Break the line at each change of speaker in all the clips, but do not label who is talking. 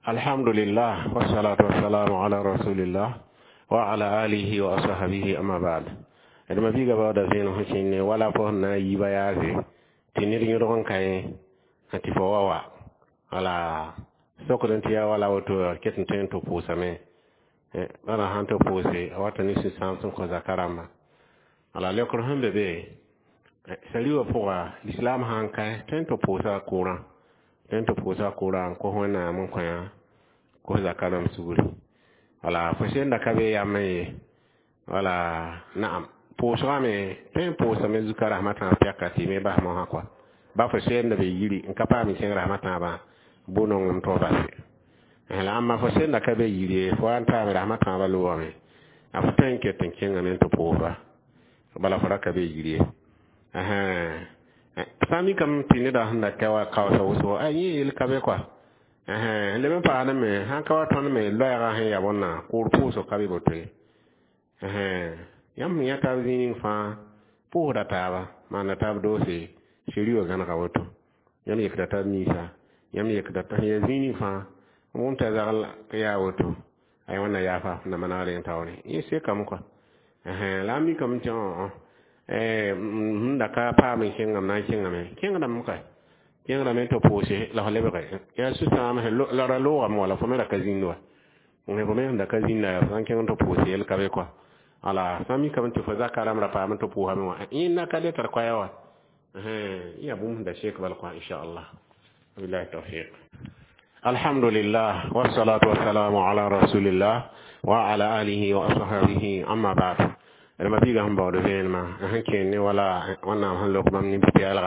Alhamdulillah, wassalatu wassalamu ala rasulillah wa ala alihi wa ashabihi, amma ba'd. D ma biiga baooda vẽenem sẽn kẽng ne wala fo sẽn na n yiiba yaase tɩ ned yõdg n ka yẽ tɩ fo wa wa wala sokd n tɩ yaa wala woto ket n tõe n tɩ pʋʋsame bala sãn tɩ pʋʋse a wata ne sũ-sãam sẽn kõ zaka rãmba. Wala leokr sẽn be be sari wã pʋga, lislaam sã n kae tõe n tɩ pʋʋsa kʋʋrã, tõe n tɩ pʋʋsa kʋʋrã n kos Wẽnnaam n kõ kos zaka rãmb sugri. Wala fo senda ka be yam ye wala naam pʋʋsgame tõe n pʋʋsame zuka rasmã tãab pɛka tɩ me bas mosã kɔa ba fo senda be yiri n ka paam n kẽng rasmã tãabã bʋ-nonglem tɩ f base la ãmba fo senda ka be yiri ye fo wa n taame rasmã tãabã loogame a fo tõe n ket n kẽngame n tɩ pʋʋsba bala fo ra ka be yiri ye. Sã n mikame tɩ neda sẽn da ka wa kaoosa wʋsgo a yẽ yel ka be kɔa leb n paasdẽ me sãn ka wa tõnd me loɛɛgã sẽn ya bõnna kʋʋr pʋʋsg ka be boto ye. Yãmb sẽn yã taab zĩig ning fãa pʋʋsda taaba maanda taab doose seri wã gãnega woto yãmb yekda taab ninsã yãmb yekda sẽn ya zĩig ning fãa wʋm t'a zagl yaa woto ay wẽnna yaafa na manegr yẽ taoore yẽ sekame kɔa la a mikame tɩ sẽn da ka paam n kẽngame na n kẽngame kẽngdame ka kẽngdame tɩ pʋʋse la f lebge yaa sũ-sãam la ra loogame wala fo me ra ka zĩnd wa fo me sẽn da ka zĩnda yaa sã n kẽng tɩ pʋʋs yel ka be kɔa. Ala sã n mikame tɩ fo zaka rãmb ra paam tɩ pʋʋsame wã yẽnda ka le tar koɛɛ wa yaa bũmb sẽn da sek bal kɔa inchallah. Wabillahi tawfiq. Alhamdulillah, wassalatu wassalamu ala rasulillah wa ala alihi wa ashabihi, amma ba'd. D ma biiga sẽn baood vẽenemã sẽn kẽen ne wala Wẽnnaam sẽn lok bãmb nin-pɛɛlga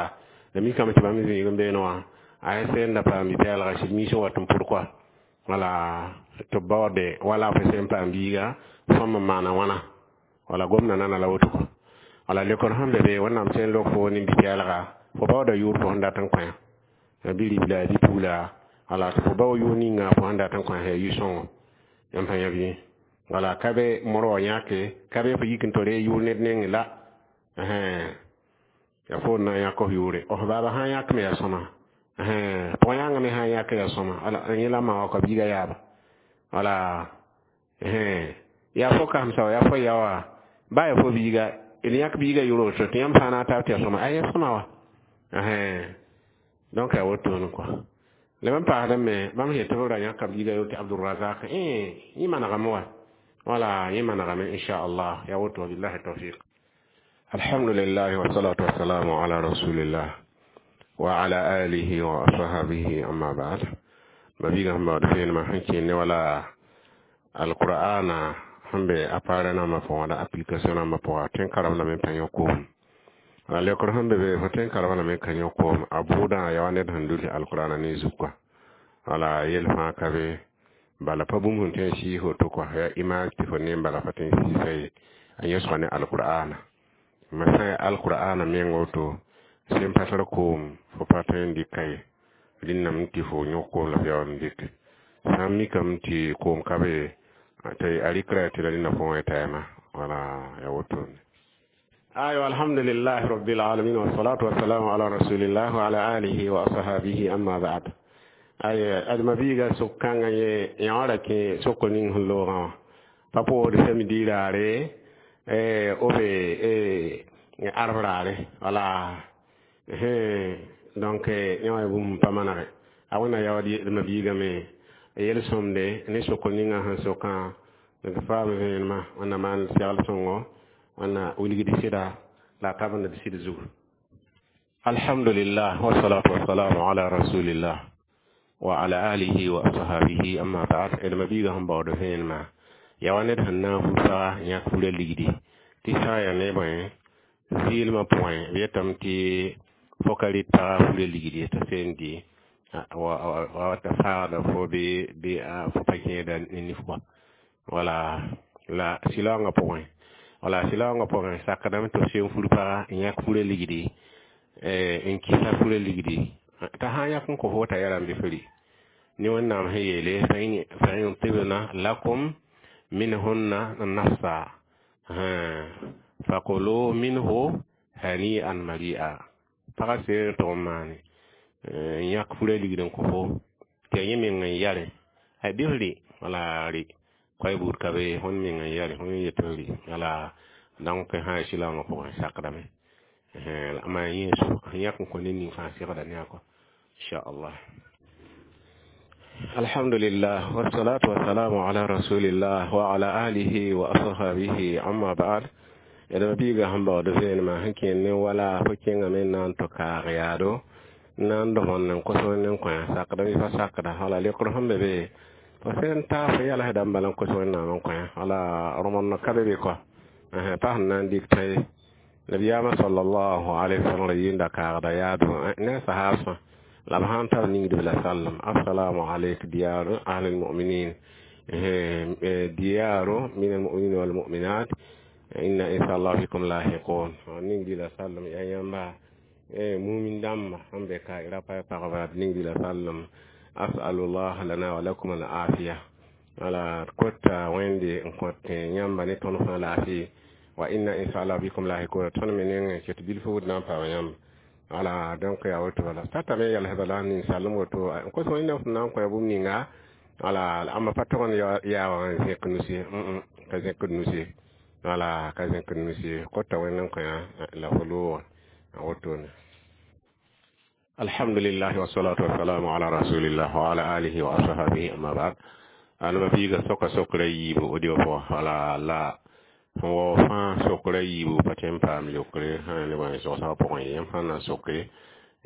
la mikame tɩ bãmb zĩig n beene wã a ya sẽn da paam bi-pɛɛlga sɩd miis n wat n pʋd kɔa wala tɩ b baoode wala fo sẽn paam biiga sõm n maana wãna wala gomda nana la woto kɔ. Wala lekr sẽn be be Wẽnnaam sẽn lok fo nin-pɛɛlga fo baooda yʋʋr fo sẽn dat n kõ bi-ribla bi-pugla wala tɩ fo bao yʋʋr ninga fo sẽn dat n kõ yaa yʋ-sõngo yãmb sã yã bɩ wala ka be mor wã yãke ka be fo yik n tɩ ree yʋʋr ned nengẽ la ya fo na n yãk f yʋʋre f baaba sã n yãk me yaa sõma pʋg-yãngã me sã n yãk yaa sõma wala yẽ la ma wa kɔ biiga yaaba wala yaa fo kasemsa wa yaa fo ya wa ba yaa fo biiga d yãk biiga yʋʋr woto tɩ yãmb sã n na n taab tɩ yaa sõma a yaa sõma wa donc yaa wotone kɔa. Leb n paasdẽ me bãmb sẽn yetɩ b ra yãka biiga yʋʋr tɩ Abdurrazak yẽ manegame wa wala yẽ manegame inchallah yaa woto. Wabillahi tawfiq. Alhamdulillah, wassalatu wassalamu ala rasulillah wa ala alihi wa ashabihi, amma ba'd. Ma biiga sẽn baood vẽenemã sẽn kẽen ne wala alqur'ana sẽn be appareil nambã pʋgã la application nambã pʋga tõe n karem lame n pa yõ koom la leokr sẽn be be fo tõe n karem lame n ka yõ koom a bʋʋdã yaa wa ned sẽn dʋls alqur'ana ne zug kɔa wala yel fãa ka be bala pa bũmb sẽn tõe n sɩɩs woto kɔa yaa image tɩ fo ne bala fa tõe n sɩɩsa ye a yẽsga ne alqur'ana ma sã n yaa alqur'ana meng woto sẽn pa tar koom fo pa tõe n dɩka ye rẽnname tɩ fo yõk koom la f yaool n dɩke sã n mikame tɩ koom ka be tɩ a rɩkra tɩ la rẽnda fo wã tɛɛma wala yaa wotone. Ayo, alhamdulillah rabbil alamin, wassalatu wassalamu ala rasulillah wa ala alihi wa ashabihi, amma ba'd. Ay adma biiga sok-kãngã ye yã ra kẽ sokr ning sẽn loogã wã pa pʋʋsd samedi raare o be arf raare wala donc yã wã bũmb pa manege a wẽnna yaood d biigame yel-sõmde ne sokr ninga sẽn sokã d faam vẽenemã wẽnna maan segl sõngo wẽnna wilgd sɩda la a tabend d sɩd zugu. Alhamdulillah, wassalatu wassalamu ala rasulillah wa ala alihi wa ashabihi, amma ba'd. D ma biiga sẽn baood vẽenemã yaa wa ned sẽn na n fu saga n yãk fura ligdi tɩ sã n yaa ne bõe zɩɩlmã pʋgẽ b yetame tɩ fo ka rɩt pagã fura ligdi t'a seen dɩ wa t'a faagda fo bɩ fo pa kẽeda ne nif kɔa wala la sɩlaoongã pʋgẽ wala sɩlaoongã pʋgẽ sakdame tɩ f sem fur paga n yãk fura ligdi n kɩsa fura ligdi t'a sã n yãk n kõ fo t'a yaa rãmb fo rɩ ne Wẽnnaam sẽn yeele fa in tibna lakum minhunna nafsa fakulu minhu hani'an mari'a. Pagã seen tʋg n maane n yãk fura ligd n kõ fo tɩ yaa yẽ meng n yare Ay bɩ f rɩ wala rɩ koay buud ka be tõnd meng n yɛle tõnd yet f rɩ wala donc sã n silaoongã pʋgẽ sakdame la maa yẽ sẽn yãk n kõ ned ning fãa segda ne a kɔ inchallah. Alhamdulillah wassalatu wassalamu ala rasulillah wa ala alihi wa ashabihi amma ba'd. Yɛdma biiga sẽn baood vẽenemã sẽn kẽer ne wala fo kẽngame n na n tɩ kaag yaado n na n dõmend n kos wẽnd n kõ sakda bɩ pa sakda wala leokr sẽn be be fo sẽn ta fo yalsdã n bala n kos wẽnnaam n kõ wala rõmend ka be be kɔ pa sẽn na n dɩk tã ye. Nabiyaamã sallallahu alaihi wasallam ra yɩɩnda kaagda yaado ne a sahaabsã la b sãn tar ningdb la sallam assalamu alayk diyaru ahli almuminin diyaru min almuminin walmuminat inna inshallah bikum lahiqun ningdi la sallam ya yãmba mumin dãmba sẽn be ka ra pa pagba ningdi la sallam asalullah lana wa lakum al afiya wala kota wẽnde n kõt yãmba ne tõnd fãa laafɩ wa inna inshallah bikum lahiqun tõnd me nengẽ ket bilf wud na n paam yãmba wala donc ya woto wala tata me yɛls bala ninsal n woto n kos wẽnnaam sẽn na n kõ bũmb ninga wala ãmba pa tog n yaa wã n zẽk nus ye ka zẽkd nus ye wala ka zẽkd nus ye kota wẽnd n kõ la fo loogã wotone. Alhamdulillah wassalatu wassalamu ala rasulillah wa ala alihi wa ashabihi amma ba'd. Alma biiga soka sokra yiibu audio pʋgã wala la sẽn wao fãa sokra yiibu pa tõe n paam leokre sã ne wa zogsã pʋgẽ yãmb sãn na soke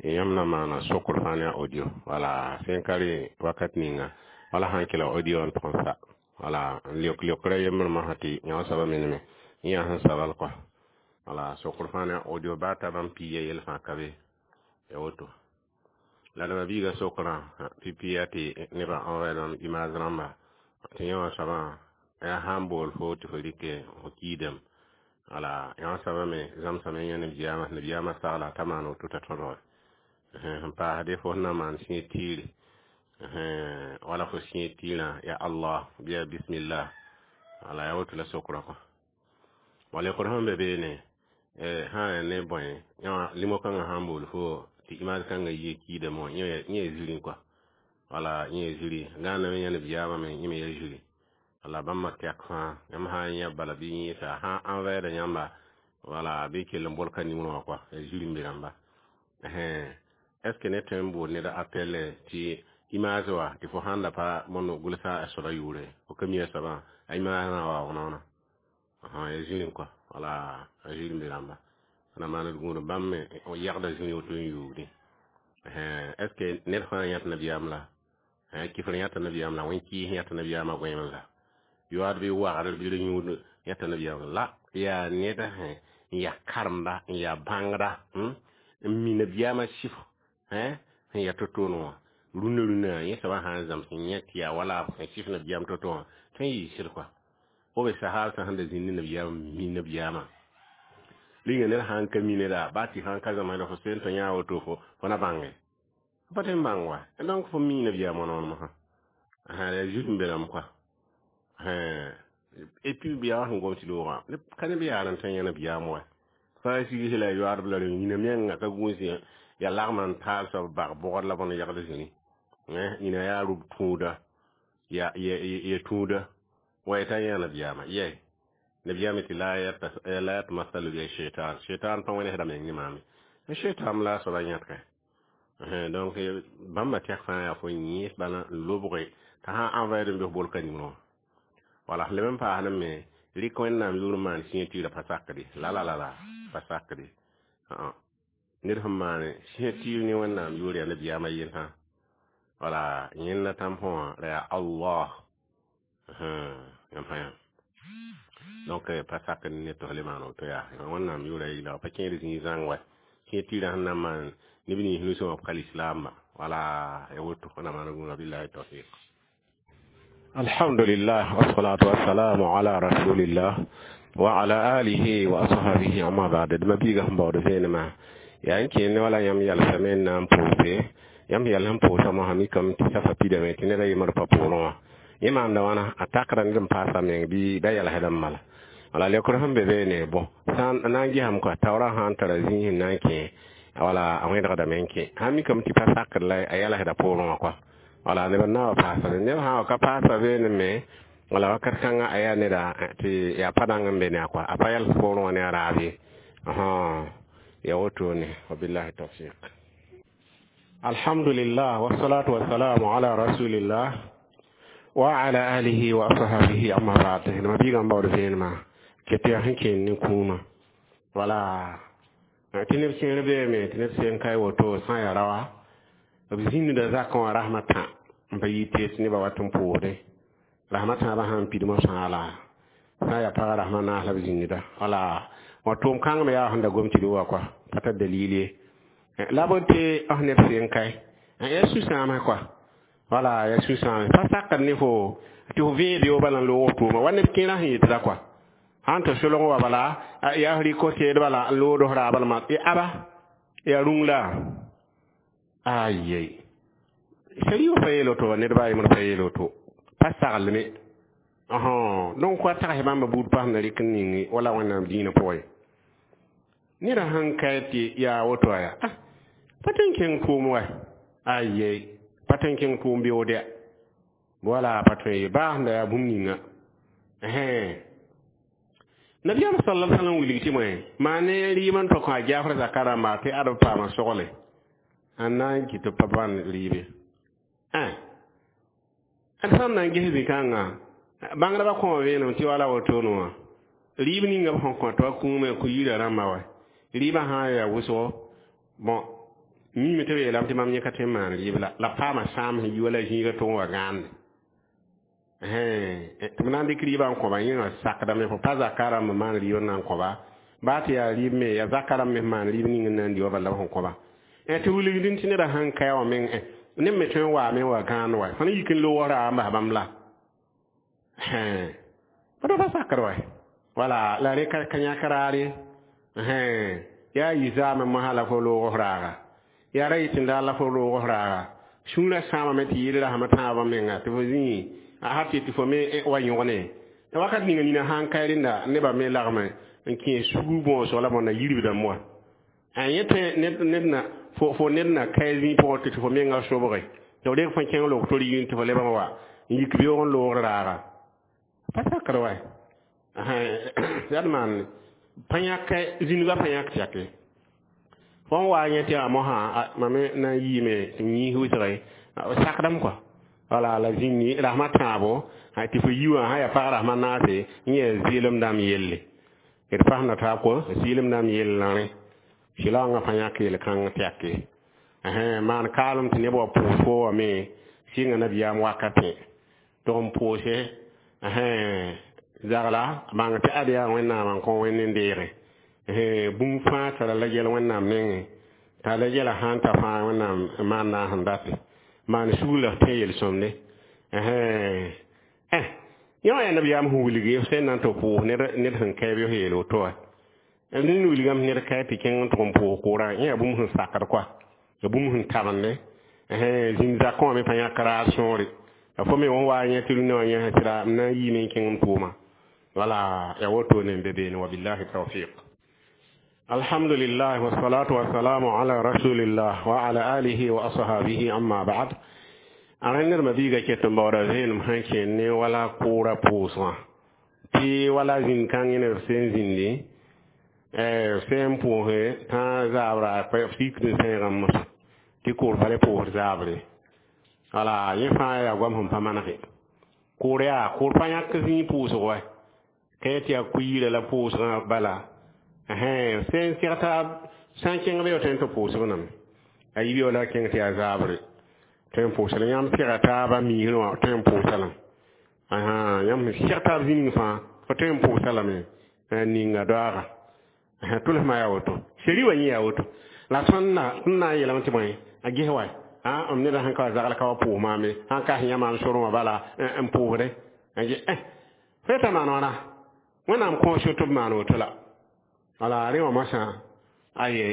yãmb na maana sokr fãa ne a audio wala sẽn ka rẽ wakat ninga wala sãn kɩla audio n tʋg n sa wala n leok leokra yembr masã tɩ yã soabã meneme yã sẽn sabl kɔa wala sokr fãa ne a audio baa ta bãmb piiga yell fãa ka be ya woto. La dama biiga sokrã pipi ya tɩ nebã envoyer bãmb image rãmba tɩ yã wã soabã yaa sã n bool fo tɩ fo rɩke fo kiidame wala yã soabã me zãmsame yã nabiyaamã nabiyaamã sagla t'a maan woto t'a tõdge sẽn paasde fo sẽn na maan sẽe tiire wala fo sẽe tiirã ya Allah bɩ ya bismillah wala ya woto la sokrã kɔ wala leokr sẽn be beene sã n ne bõe yã limo kãngã sã n bool fo tɩ image kãngã yie kiidame wã yẽ yaa zirẽ kɔa wala yẽ yaa ziri gãname yã nabiyaamã me yẽ me yaa ziri wala bãmba tɛk fãa yãmb sã n yã bala bɩ yẽesa sã n envoyer yãmba wala bɩ kell n bolka nimrã wã kɔa yaa ziri n be rãmba. Est ce que ne tõe n bool ned appel tɩ image wa tɩ fo sãn da pa mõnd gʋlsa a soaba yʋʋre fo ka mi a soabã a image rã wa wãna yaa zĩrĩ kɔa wala a zĩr n be rãmba na maand gũud bãmb me yagda zĩri woto n yuugdẽ. Est ce que ned fãa yãt nabiyaam la kifr yãta nabiyaam la wẽn-kɩɩs yãta nabiyaamã goẽem la yoaad bɩ wagdr bɩ yũud yãta nabiyaam la yaa ned n yaa karemba n yaa bãngda n mi nabiyaamã sɩf sẽn yaa to-toone wã rũnã rũnã yẽ soabã sã n zãms n yẽ tɩ yaa wala sẽn sɩf nabiyaam to-to wã tõe n yɩɩ sɩd kɔa fo be sahaab sẽn da zĩnd ne nabiyaamã mi nabiyaamã rĩnga ned sã n ka mi neda baa tɩ sã n ka zãmsda fo sen tɩ yã woto fo na bãnge fo pa tõe n bãng wa donc fo mi nabiyaamã noor mosã yaa zut n be rãmb kɔa. Et puis yaa sẽn gom tɩ loogã ka neb yaar n tõe n yã nabiyaam wa fãa sigs la yoaadb la yĩna menga ka gũus ya lagma n taal soab bag bʋgd la bõn yagd zĩni yĩna yaa rʋb tũuda ya tũuda wa t'a yã nabiyaamã yɛ nabiyaamã tɩ la yatmasalu bi shaitan shaitan pa wẽnesda meng ne maame shaitan la a soaba yãtke. Donc bãmba tɛk fãa yaa fo yẽes bala n lobge t'a sã n envoyer n bɩ f bolka nimrã wã wala leb n paasd me rɩk wẽnnaam yʋʋr n maan sẽe tiirã pa sakde la la la la pa sakde ned sẽn maan sẽe tiir ne wẽnnaam yʋʋr yaa nabiyaamã yel sã wala yẽnda tãmpõ wã ra yaa Allah yãmb fãa yã donc pa sakd ne tɩ f le maan woto yaa wẽnnaam yʋʋra yɩla pa kẽed zĩig zãng wa sẽe tiirã sẽn na n maan neb nins nusẽ wã b ka lislaamba wala ya woto na maan gũuda billahi tawfiq. Alhamdulillah wassalatu wassalamu ala rasulillah wa ala alihi wa ashabihi amma ba'd. Dma biiga sẽn baood vẽenemã yaa n kẽer ne wala yãmb yalsame n na n pʋʋse yãmb yɛl sẽn pʋʋsã mosã mikame tɩ safa pidame tɩ ned a yembr pa pʋʋrẽ wã yẽ maanda wãna a takda ned n paasa meng bɩ da yɛlsd n mala wala leokr sẽn be beene bõ sã n na n gesame kɔa taoorã sã n tara zĩis n na n kẽ wala a wẽdgdame n kẽ sã n mikame tɩ pa sakd la a yɛlsda poorẽ wã kɔa. Wala neb n na wa paasa be neb sã n wa ka paasa veenẽ me wala wakat kãngã a yaa neda tɩ yaa pa dãng n be ne a kɔa a pa yals poorẽ wã ne a raab ye ya wotone wabillahi tawfiq. Alhamdulillah wassalatu wassalamu ala rasulillah wa ala alihi wa ashabihi amma ba'd. Ma biiga n baood vẽenemã ket yaa sẽn kẽen ne kũumã wala tɩ neb kẽer beeme tɩ neb sẽn ka woto sã n yaa raoa b zĩnda zakã wã rasmã tã n pa yɩ tɩ nebã wat n pʋʋsdẽ rasmã tãabã sãn pidmã fãa la sã n yaa pagã rasmã naas la b zĩnda wala wã tʋʋm kãng me yaa sẽn da gom tɩ d wa kɔa pa tar dalil ye la b tɩ f neb sẽn kae yaa sũ-sãamã kɔa wala yaa sũ-sãame pa sakd ne fo tɩ fo vẽe beoog bala n loog f tʋʋma wa neb kẽerã sẽn yetda kɔa sãn tɩ solg wa bala yaa f rɩk teed bala n lood f raab lma aba yaa rũng la ayei sariya pa yeel woto ned ba a yembr pa yeel woto pa saglme donc wa tags bãmba buud pas na rɩk n ningi wala Wẽnnaam dĩinã pʋgẽ neda sãn ka tɩ yaa woto yaa ah pa tõe n kẽng tʋʋm wa ayei pa tõe n kẽng tʋʋm beood ya wala pa tõe ye baa sẽn da yaa bũmb ninga nabiyaam sallallahu alaihi wasallam wilg tɩ moe maa ne rɩɩm n tɔ kõ a Jaafar zaka rãmba tɩ ad b paama sogle n na n kɩ tɩ pa bãn rɩɩbe d sãn na n ges zĩ-kãngã bãngdbã kõo vẽenem tɩ wala wotone wã rɩɩb ninga b sẽn kõ tɩ wa kũumã kũ yirã rãmba wa rɩɩbã sã n yaa wʋsgo bõn miime tɩ b yeelame tɩ mam yẽ ka tõe n maan rɩɩb la paama sãam sẽn yi wala zĩiga tʋg n wa gãande tɩ b na n dɩk rɩɩbã n kõba yẽ wã sakdame fo pa zaka rãmb n maan rɩɩb n na n kõba baa tɩ yaa rɩɩb me yaa zaka rãmb me maan rɩɩb ning n na n di wa bala b sẽn kõba tɩ wilgdẽ tɩ neda sãn ka wã meng neb me tõe n waame n wa gãand wa fõn yik n loog raab n bas bãmb la pa pa sakd wa wala la rẽ ka yãk raar ye yaa yi zaame mosã la fo loog f raaga yaa ra yɩ tɩ daar la fo loog f raaga sũurã sãamame tɩ yɩl rasmã tãabã menga tɩ fo zĩ a har tɩ fo me wa yõgne wakat ninga nina sãn ka rẽnda nebã me lagme n kẽ sugr bõosg la bõnda yirbdame wa yẽ tõe ned na fo ned na kae zĩig pʋgẽ tɩ fo menga sobge tɩ f reg fõ kẽng loog tor yĩng tɩ fo leb n wa n yik beoog n loogr raaga pa sakd wa yaa d maan pa yãk zĩnigã pa yãk tɛke fõn wa yẽ tɩ yaa mosã mam me na n yiime tɩ m yĩis wʋsge sakdame kɔa wala la zĩnni rasmã tãabo tɩ fo yi wã sã yaa pag rasmã naase n yẽ zɩɩlem dãmb yelle d pasẽnda taab kɔ zɩɩlem dãmb yell la rẽ sɩlaoongã pa yãk yel-kãng tɛke maan kaalem tɩ neb wa pʋʋs fo wame sɩnga nabiyaam wakatẽ tɩ n pʋʋse zagla bãng tɩ ad yaa Wẽnnaam n kõ wẽnd n deege bũmb fãa tara la gɛl Wẽnnaam nengẽ t'a la gɛla sãn ta fãa Wẽnnaam maan naas n date maan sugr la f tẽ yel-sõmde yẽ wã yaa nabiyaam sẽn wilg sẽn na n tɩ pʋʋs ned sẽn kae bɩ f yeel woto wa ned wilgame ned kae tɩ kẽng n tʋg n pʋʋs kʋʋrã yẽ yaa bũmb sẽn sakd kɔa ya bũmb sẽn tabende zĩnd zakẽ wã me pa yãk raar sõore fo me wã wa yẽ tɩ rũndã wã yẽsã tɩ ra m na n yiime n kẽng n tʋʋma wala ya wotone n be beene wabillahi tawfiq. Alhamdulillah wassalatu wassalamu ala rasulillah wa ala alihi wa ashabihi amma ba'd. A rẽ ned mabiiga ket n baooda vẽenem sẽn kẽen ne wala kʋʋra pʋʋsgã tɩ wala zĩnd-kãng yẽ neb sẽn zĩndi sẽn pʋʋse tã zaabra sikd n sẽegã mosã tɩ kʋʋr pa le pʋʋs zaabre wala yẽ fãa yaa goam sẽn pa manege kʋʋr yaa kʋʋr pa yãk zĩig pʋʋsg wa ka yẽ tɩ yaa ku-yirã la pʋʋsgã bala sẽn segta sã n kẽng be tõe n tɩ pʋʋsb name a yibe la kẽng tɩ yaa zaabre tõe n pʋʋsa la yãmb sega taabã miisrẽ wã tõe n pʋʋsa lame yãmb sẽn seg taab zĩning fãa fo tõe n pʋʋsa lame ninga doaaga tʋlsmã yaa woto seri wa yẽ yaa woto la tõnd na n yeelame tɩ bõe a ges wa m neda sẽn ka wa zagl ka wa pʋʋs maame sãn ka sẽn yã maam sorẽ wã bala n pʋʋsde fo yeta maan wãna Wẽnnaam kõo so tɩ b maan woto la wala rẽ wã mosã aye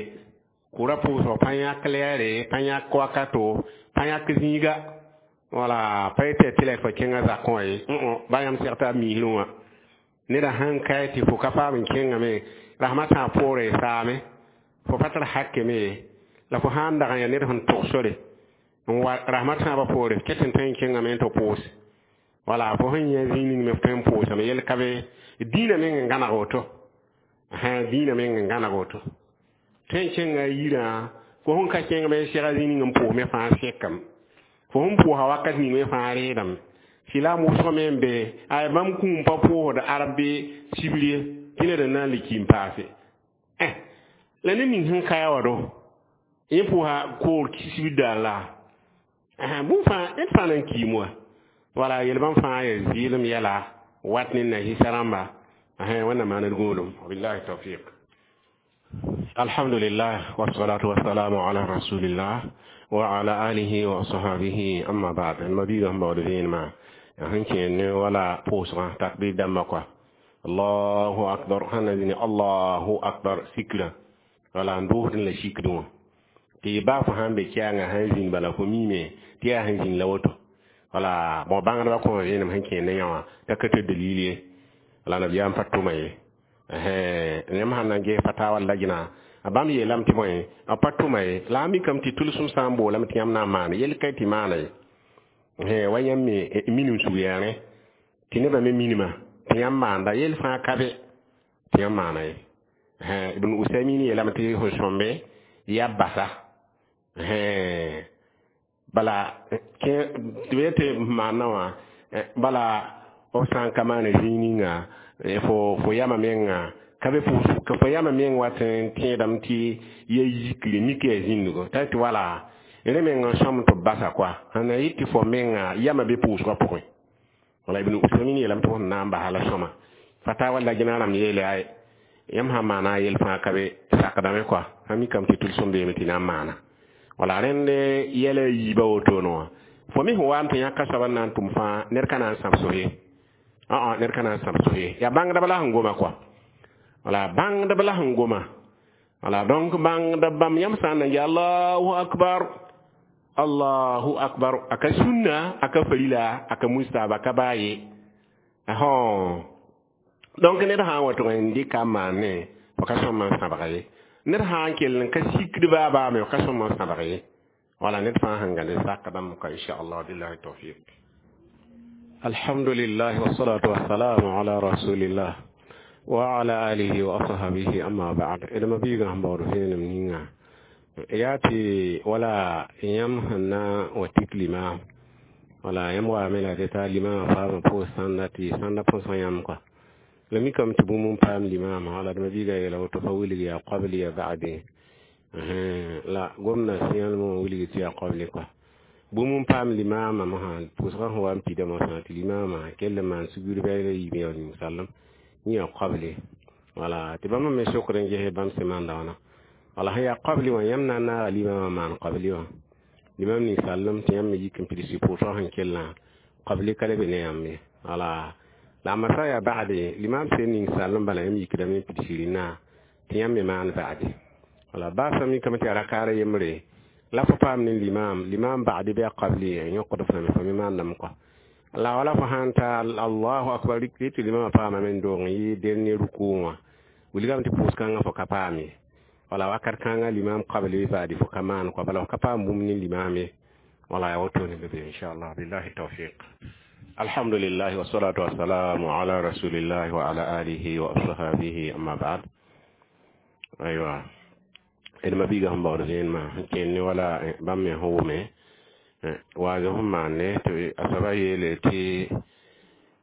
kʋʋra pʋʋsg pa yãk lɛɛre pa yãk wakato pa yãk zĩiga wala pa yetɩ tɩ la fo kẽngã zakẽ wã ye ba yãmb seg t'a miisrẽ wã neda sãn kae tɩ fo ka paam n kẽngame rasmã tãag poorẽ saame fo pa tar hakeme ye la fo sãn dag n yaa ned sẽn tʋg sore N wa rasmã tãabã poore f ket n tõe n kẽngame n tɩ pʋʋs wala fo sẽn yã zĩig ning me f tõe n pʋʋsame yel ka be dĩinã meng n gãneg woto dĩinã meng n gãneg woto tõe n kẽnga a yirã fo sẽn ka kẽng me n sega zĩig ning n pʋʋs me fãa sekame fo sẽn pʋʋsa wakat ning me fãa reedame tɩ la wʋsg me n be ay bãmb kũum pa pʋʋsd arab bɩ sibr ye tɩ ned n na n le ki n paase la ned ning sẽn ka ya wa do yẽ pʋʋsa koor sibr daar la bũmb fãa ned fãa na n kiim wa wala yel bãmb fãa yaa zɩɩlem yɛla wat ne nasɩsa rãmba wẽnnaam maan d gũudum wabillahi tawfiq. Alhamdulillah wassalatu wassalamu ala rasulillah wa ala alihi wa ashabihi amma ba'd. Ma biiga sẽn baood vẽenemã sẽn kẽer ne wala pʋʋsgã takbir dãmbã kɔa allahu akbar sãn na zĩni allahu akbar sikrã wala n doosd la sikdẽ wã tɩ baa fo sãn be kɛɛngã sãn zĩnd bala fo miime tɩ yaa sẽn zĩnd la woto wala bõ bãngdbã kõ vẽenem sẽn kẽer ne yã wã t'a ka tɩ dalil ye wala nabiyaam pa tʋma ye yãmb sãn na n ges fatawa lajna a bãmb yeelame tɩ bõe a pa tʋma ye la a mikame tɩ tʋlsem sã n boolame tɩ yãmb na n maane yel ka tɩ maana ye wa yãmb me minim sug yaa rẽ tɩ nebã me minima tɩ yãmb maanda yel fãa ka be tɩ yãmb maana ye Ibn Usaymin yeelame tɩ sẽn sõmbe yaa basa bala tɩ b yetɩ maana wã bala f sã n ka maana zĩig ninga fo yama menga ka be ka fo yama meng wat n tẽedame tɩ ya yikre mik yaa zĩndgo t'a tɩ wala rẽ meng n sõm tɩ b basa koa sẽn na yɩ tɩ fo menga yama be pʋʋsgã pʋgẽ wala Ibn Usaymin yeelame tɩ fo sẽn na n basa la sõma fatawa lajna rãmb yeele ay yãmb sãn maana a yel fãa ka be sakdame koa sã mikame tɩ tʋlsem beeme tɩ na n maana wala rẽnd yɛla a yiibã wotone wã fo me sẽn wa n tɩ yãk a soab n na n tʋm fãa ned ka na n sãbs ye ned ka na n sãbs ye yaa bãngdb la sẽn goma koa wala bãngdb la sẽn goma wala donc bãngdb bãmb yãmb sã n na n allahu akbar allahu akbar aka sunna aka farila aka mustahab aka baa ye donc ned sã n wa tʋg n dɩka n maane fo ka sõm n sãbga ye ned sã n kell n ka sikd baa baame fo ka sõm n sãbg ye wala ned fãa sẽn gãnde sakdãmb ka inchallah billahi tawfiq. Alhamdulillah wassalatu wassalamu ala rasulillah wa ala alihi wa ashabihi amma ba'd. D ma biigã sẽn baood vẽenem ninga yaa tɩ wala yãmb sẽn na wa tik limaam wala yãmb waame la tɩ taa limaamã paamã pʋʋs sãnda tɩ sãnda põsg yãmb kɔa la mikame tɩ bũmb n paam limaamã wala d ma biiga yeela woto fa wilg yaa qabli ya ba'di la gomna sẽyãlmã wã wilg tɩ yaa qabli kɔa bũmb n paam limaamã mosã pʋʋsgã sẽn wa n pida mosã tɩ limaamã kell n maan sugr bɩ la yiib ya ning-sallem yẽ yaa qabli wala tɩ bãmb me sokd n ges bãmb sẽn maanda wãna wala sẽn yaa qabli wã yãmb na n naaga limaamã maan qabli wã limaam ning-sallem tɩ yãmb me yik n pids pʋʋsgã sẽn kellã qabli ka le be ne yãmb ye wala la masa yaa ba'de limaam sẽn ning-sallem bala yãmb yikdame n pids rẽnna tɩ yãmb me maan ba'de wala baasã mikame tɩ yaa rakaara yembre la fo paam ne limaam limaam ba'de bɩ a qabli yõkd f lame fo me maandame kɔa la wala fo sãn ta allahu akbar rɩk tɩ limaamã paamame n doog n yɩ dernier ruku wã wilgame tɩ pʋʋs-kãngã fo ka paam ye wala wakat kãngã limaam qabli ba'de fo ka maan kɔa bala fo ka paam bũmb ne limaam ye wala yaa wotone be be inchallah billahi tawfiq. Alhamdulillah wassalatu wassalamu ala rasulillah wa ala alihi wa ashabihi amma ba'd. Aywa d ma biiga sẽn baood vẽenemã sẽn kẽnd ne wala bãmb me sẽn wʋme waaz sẽn maande tɩ a soaba yeele tɩ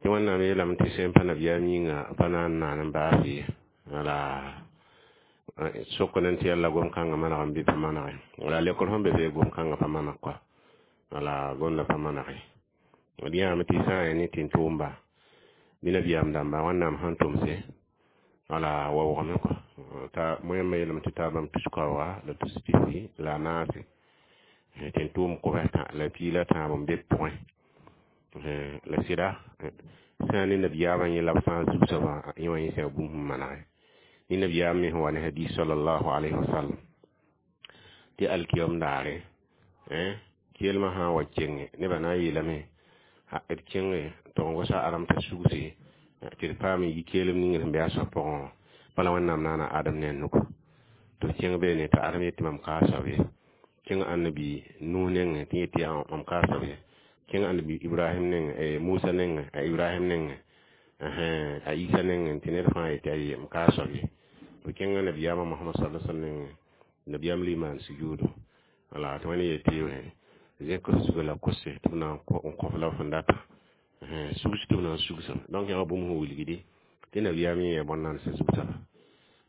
wẽnnaam yeelame tɩ sẽn pa nabiyaam yĩnga pa na n naan n baas ye wala sokd n tɩ yalla gom-kãngã maneg n bɩ pa manege wala lekr sẽn be bee gom-kãngã pa maneg kɔa wala gomda pa manege d yãame tɩ sã n yaa ne tɩ-tʋʋmba bɩ nabiyaam dãmba wẽnnaam sẽn tʋmse wala waoogame kɔa ta wẽmba yeelame tɩ taa bãmb tus-kaooga la tus-pisi la a naase tɩ n tʋʋm kobs la piig la tãab n be pʋgẽ la sɩda sã n ne nabiyaamã yẽ la b fãa zug soabã yẽ wã yẽ sã bũmb sẽn manege ne nabiyaam me sẽn wa ne hadis sallallahu alayhi wa sallam tɩ alkiyom daare kelmã sã n wa kenge nebã na n yeelame d kẽnge tɩ n gosa adam t'a sugse tɩ d paam n yi keelem ning sẽn be a soab pʋgẽ wã bala wẽnnaam naana adam ne a nugu tɩ b kẽng beene tɩ adam yetɩ mam ka a soab ye Kẽng annabi Nuh nengẽ tɩ yetɩ yaa mam ka a soab ye. Kẽng annabi Ibrahim nengẽ, Musa nengẽ, a Ibrahim nengẽ, a Isa nengẽ tɩ ned fãa yetɩ aye, m ka a soab ye. B kẽnga nabiyaamã Mohamad sala sallam nengẽ, nabiyaam le maan sujuudo. Wala tɩ wẽnd yetɩ zẽk f zuga la kose tɩ b na n kõ-f la f sẽn data. Sugs tɩ b na n sugsa. Donc yã wa bũmb sẽn wilgdi tɩ nabiyaam yẽ yaa bõn-naandsã zug-soaba.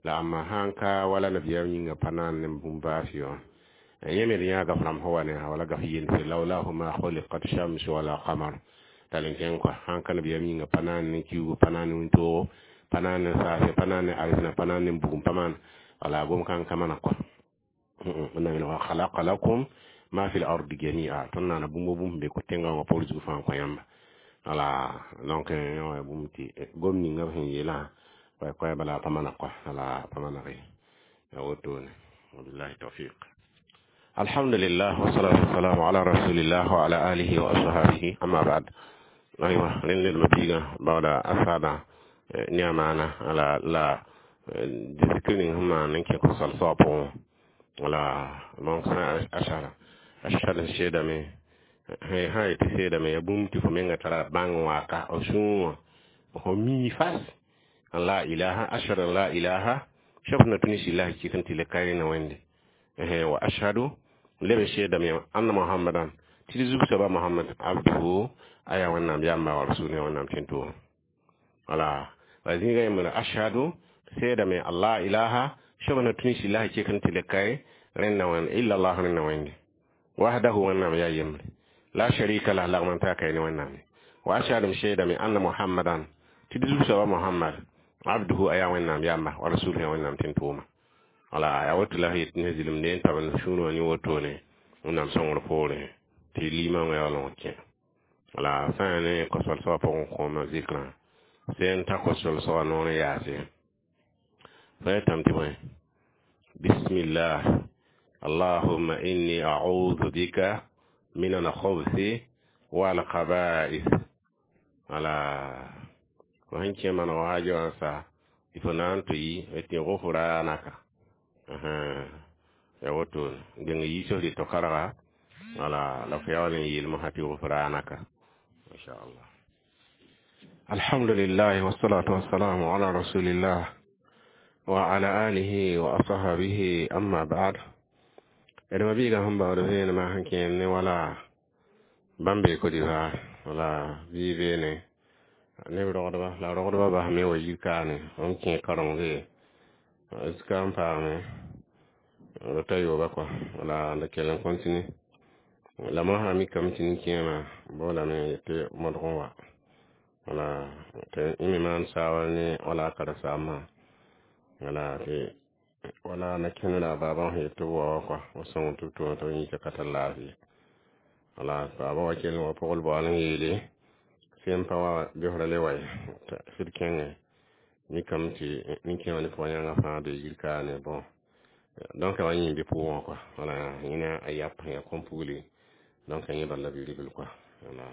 La ãmba sã n ka wala nabiyaam yĩngã pa naan ne bũmb baasɩ wã. Yẽ me d yãa gaf rãmb sẽn wa ne wala gaf yelse laulahu ma khuliqat shamsu wala qamar. Tall n kẽng kɔa, sãn ka nabiyaam yĩngã pa naan ne kiuugu, pa naan ne wĩntoogo, pa naan ne saase, pa naan ne arzẽna, pa naan ne bugum, pa maan wala gom kãng ka mana kɔa. Wẽnnaam yeela wa khalaqa lakum ma fi l-ardi jami'a. Tõnd naana bũmb bũmb sẽn be tẽngã wã poor zug fãa n kõ yãmba. Wala donc yã wa bũmb tɩ gom ninga b sẽn yeelã koɛ-koɛ bala pa mana kɔa, wala pa maneg ye. Ya wotone. Wabillahi tawfiq. Alhamdulillah wassalatu wassalamu ala rasulillah wa ala alihi wa ashabihi amma ba'd. Aywa rẽnd ledmã biigã baooda a saada ne a maana ala la zikr ning sẽn maan n kẽ kosal soab pʋgẽ. Wala donc sã ashara ashhadu n seedame sã yetɩ seedame yaa bũmb tɩ fo menga tara bãng waka f sũur wã fo mii fas an la ilaha ashhadu an la ilaha soab sẽn na tũ ne sɩllah kɩk n tɩ le ka rẽna wẽnde. Wa ashhadu leb n seedame anna Muhammadan tɩ d zug soaba Muhammad abduhu a yaa Wẽnnaam yamba wa rasuluhu Wẽnnaam tẽn-tʋʋma. Wala wa zĩiga yembra ashhadu seedame an la ilaha soab sẽn na tũ ne sɩllah kɩk n tɩ le ka rẽnna wẽnd illa Allah rẽnna wẽnde wahdahu Wẽnnaam yaa yembre la sharika lah lagm n taa ka ne Wẽnnaam ye. Wa ashhadu m seedame anna Muhammadan tɩ d zug soaba Muhammad abduhu a yaa Wẽnnaam yamba wa rasuluhu yaa Wẽnnaam tẽn-tʋʋma. Wala yaa woto la yet ne zɩlemde n tab n sũur wã ne wotone Wẽnnaam sõngr poorẽ tɩ liimã wã yaool n kẽ. Wala sã n yaa ne kosal soabã pʋgẽ kõoma zikrã sẽn ta kosol soabã noor n yaase. Fa yetame tɩ bõe bismillah allahumma inni a'udhu bika min al-khubuthi wal khaba'ith. Wala fo sẽn kẽ maneg waaja wã sa tɩ fo na n tɩ yi tɩ ghufranaka. Ya woto dẽng yiisg rɩ to-karga wala la fo yaool n yeel mosã tɩ ghufranaka inshallah. Alhamdulillah wassalatu wassalamu ala rasulillah wa ala alihi wa ashabihi amma ba'd. D mabiigã sẽn baood vẽenemã sẽn kẽer ne wala bãmb bee Côte d'Ivoire wala bɩ beene neb rogdba la rogdba basme wa yir kaane n kẽ kareng zika n paame d ta yooba kɔa wala d kell n continue la mosã mikame tɩ nin-kẽemã boolame tɩ modg n wa wala tɩ yẽ me maan saoor ne wala a karen-saambã wala tɩ wala na kẽnd la baabã sẽn yet tɩ b wa wã kɔa b sõng tɩ b tʋʋm tɩ b yĩka ka tar laafɩ. Wala baabã wa kell n wa pʋgl baool n yeele sẽn pa wa besrã le wa ye sɩd kẽngẽ mikame tɩ nin-kẽemã ne pʋgã yãngã fãa bee yir kaane bon donc a wa yẽ bɩ pʋgẽ wã kɔa wala yẽ a yap sẽn yaa kom-pugli donc yẽ bala bi-ribl kɔa wala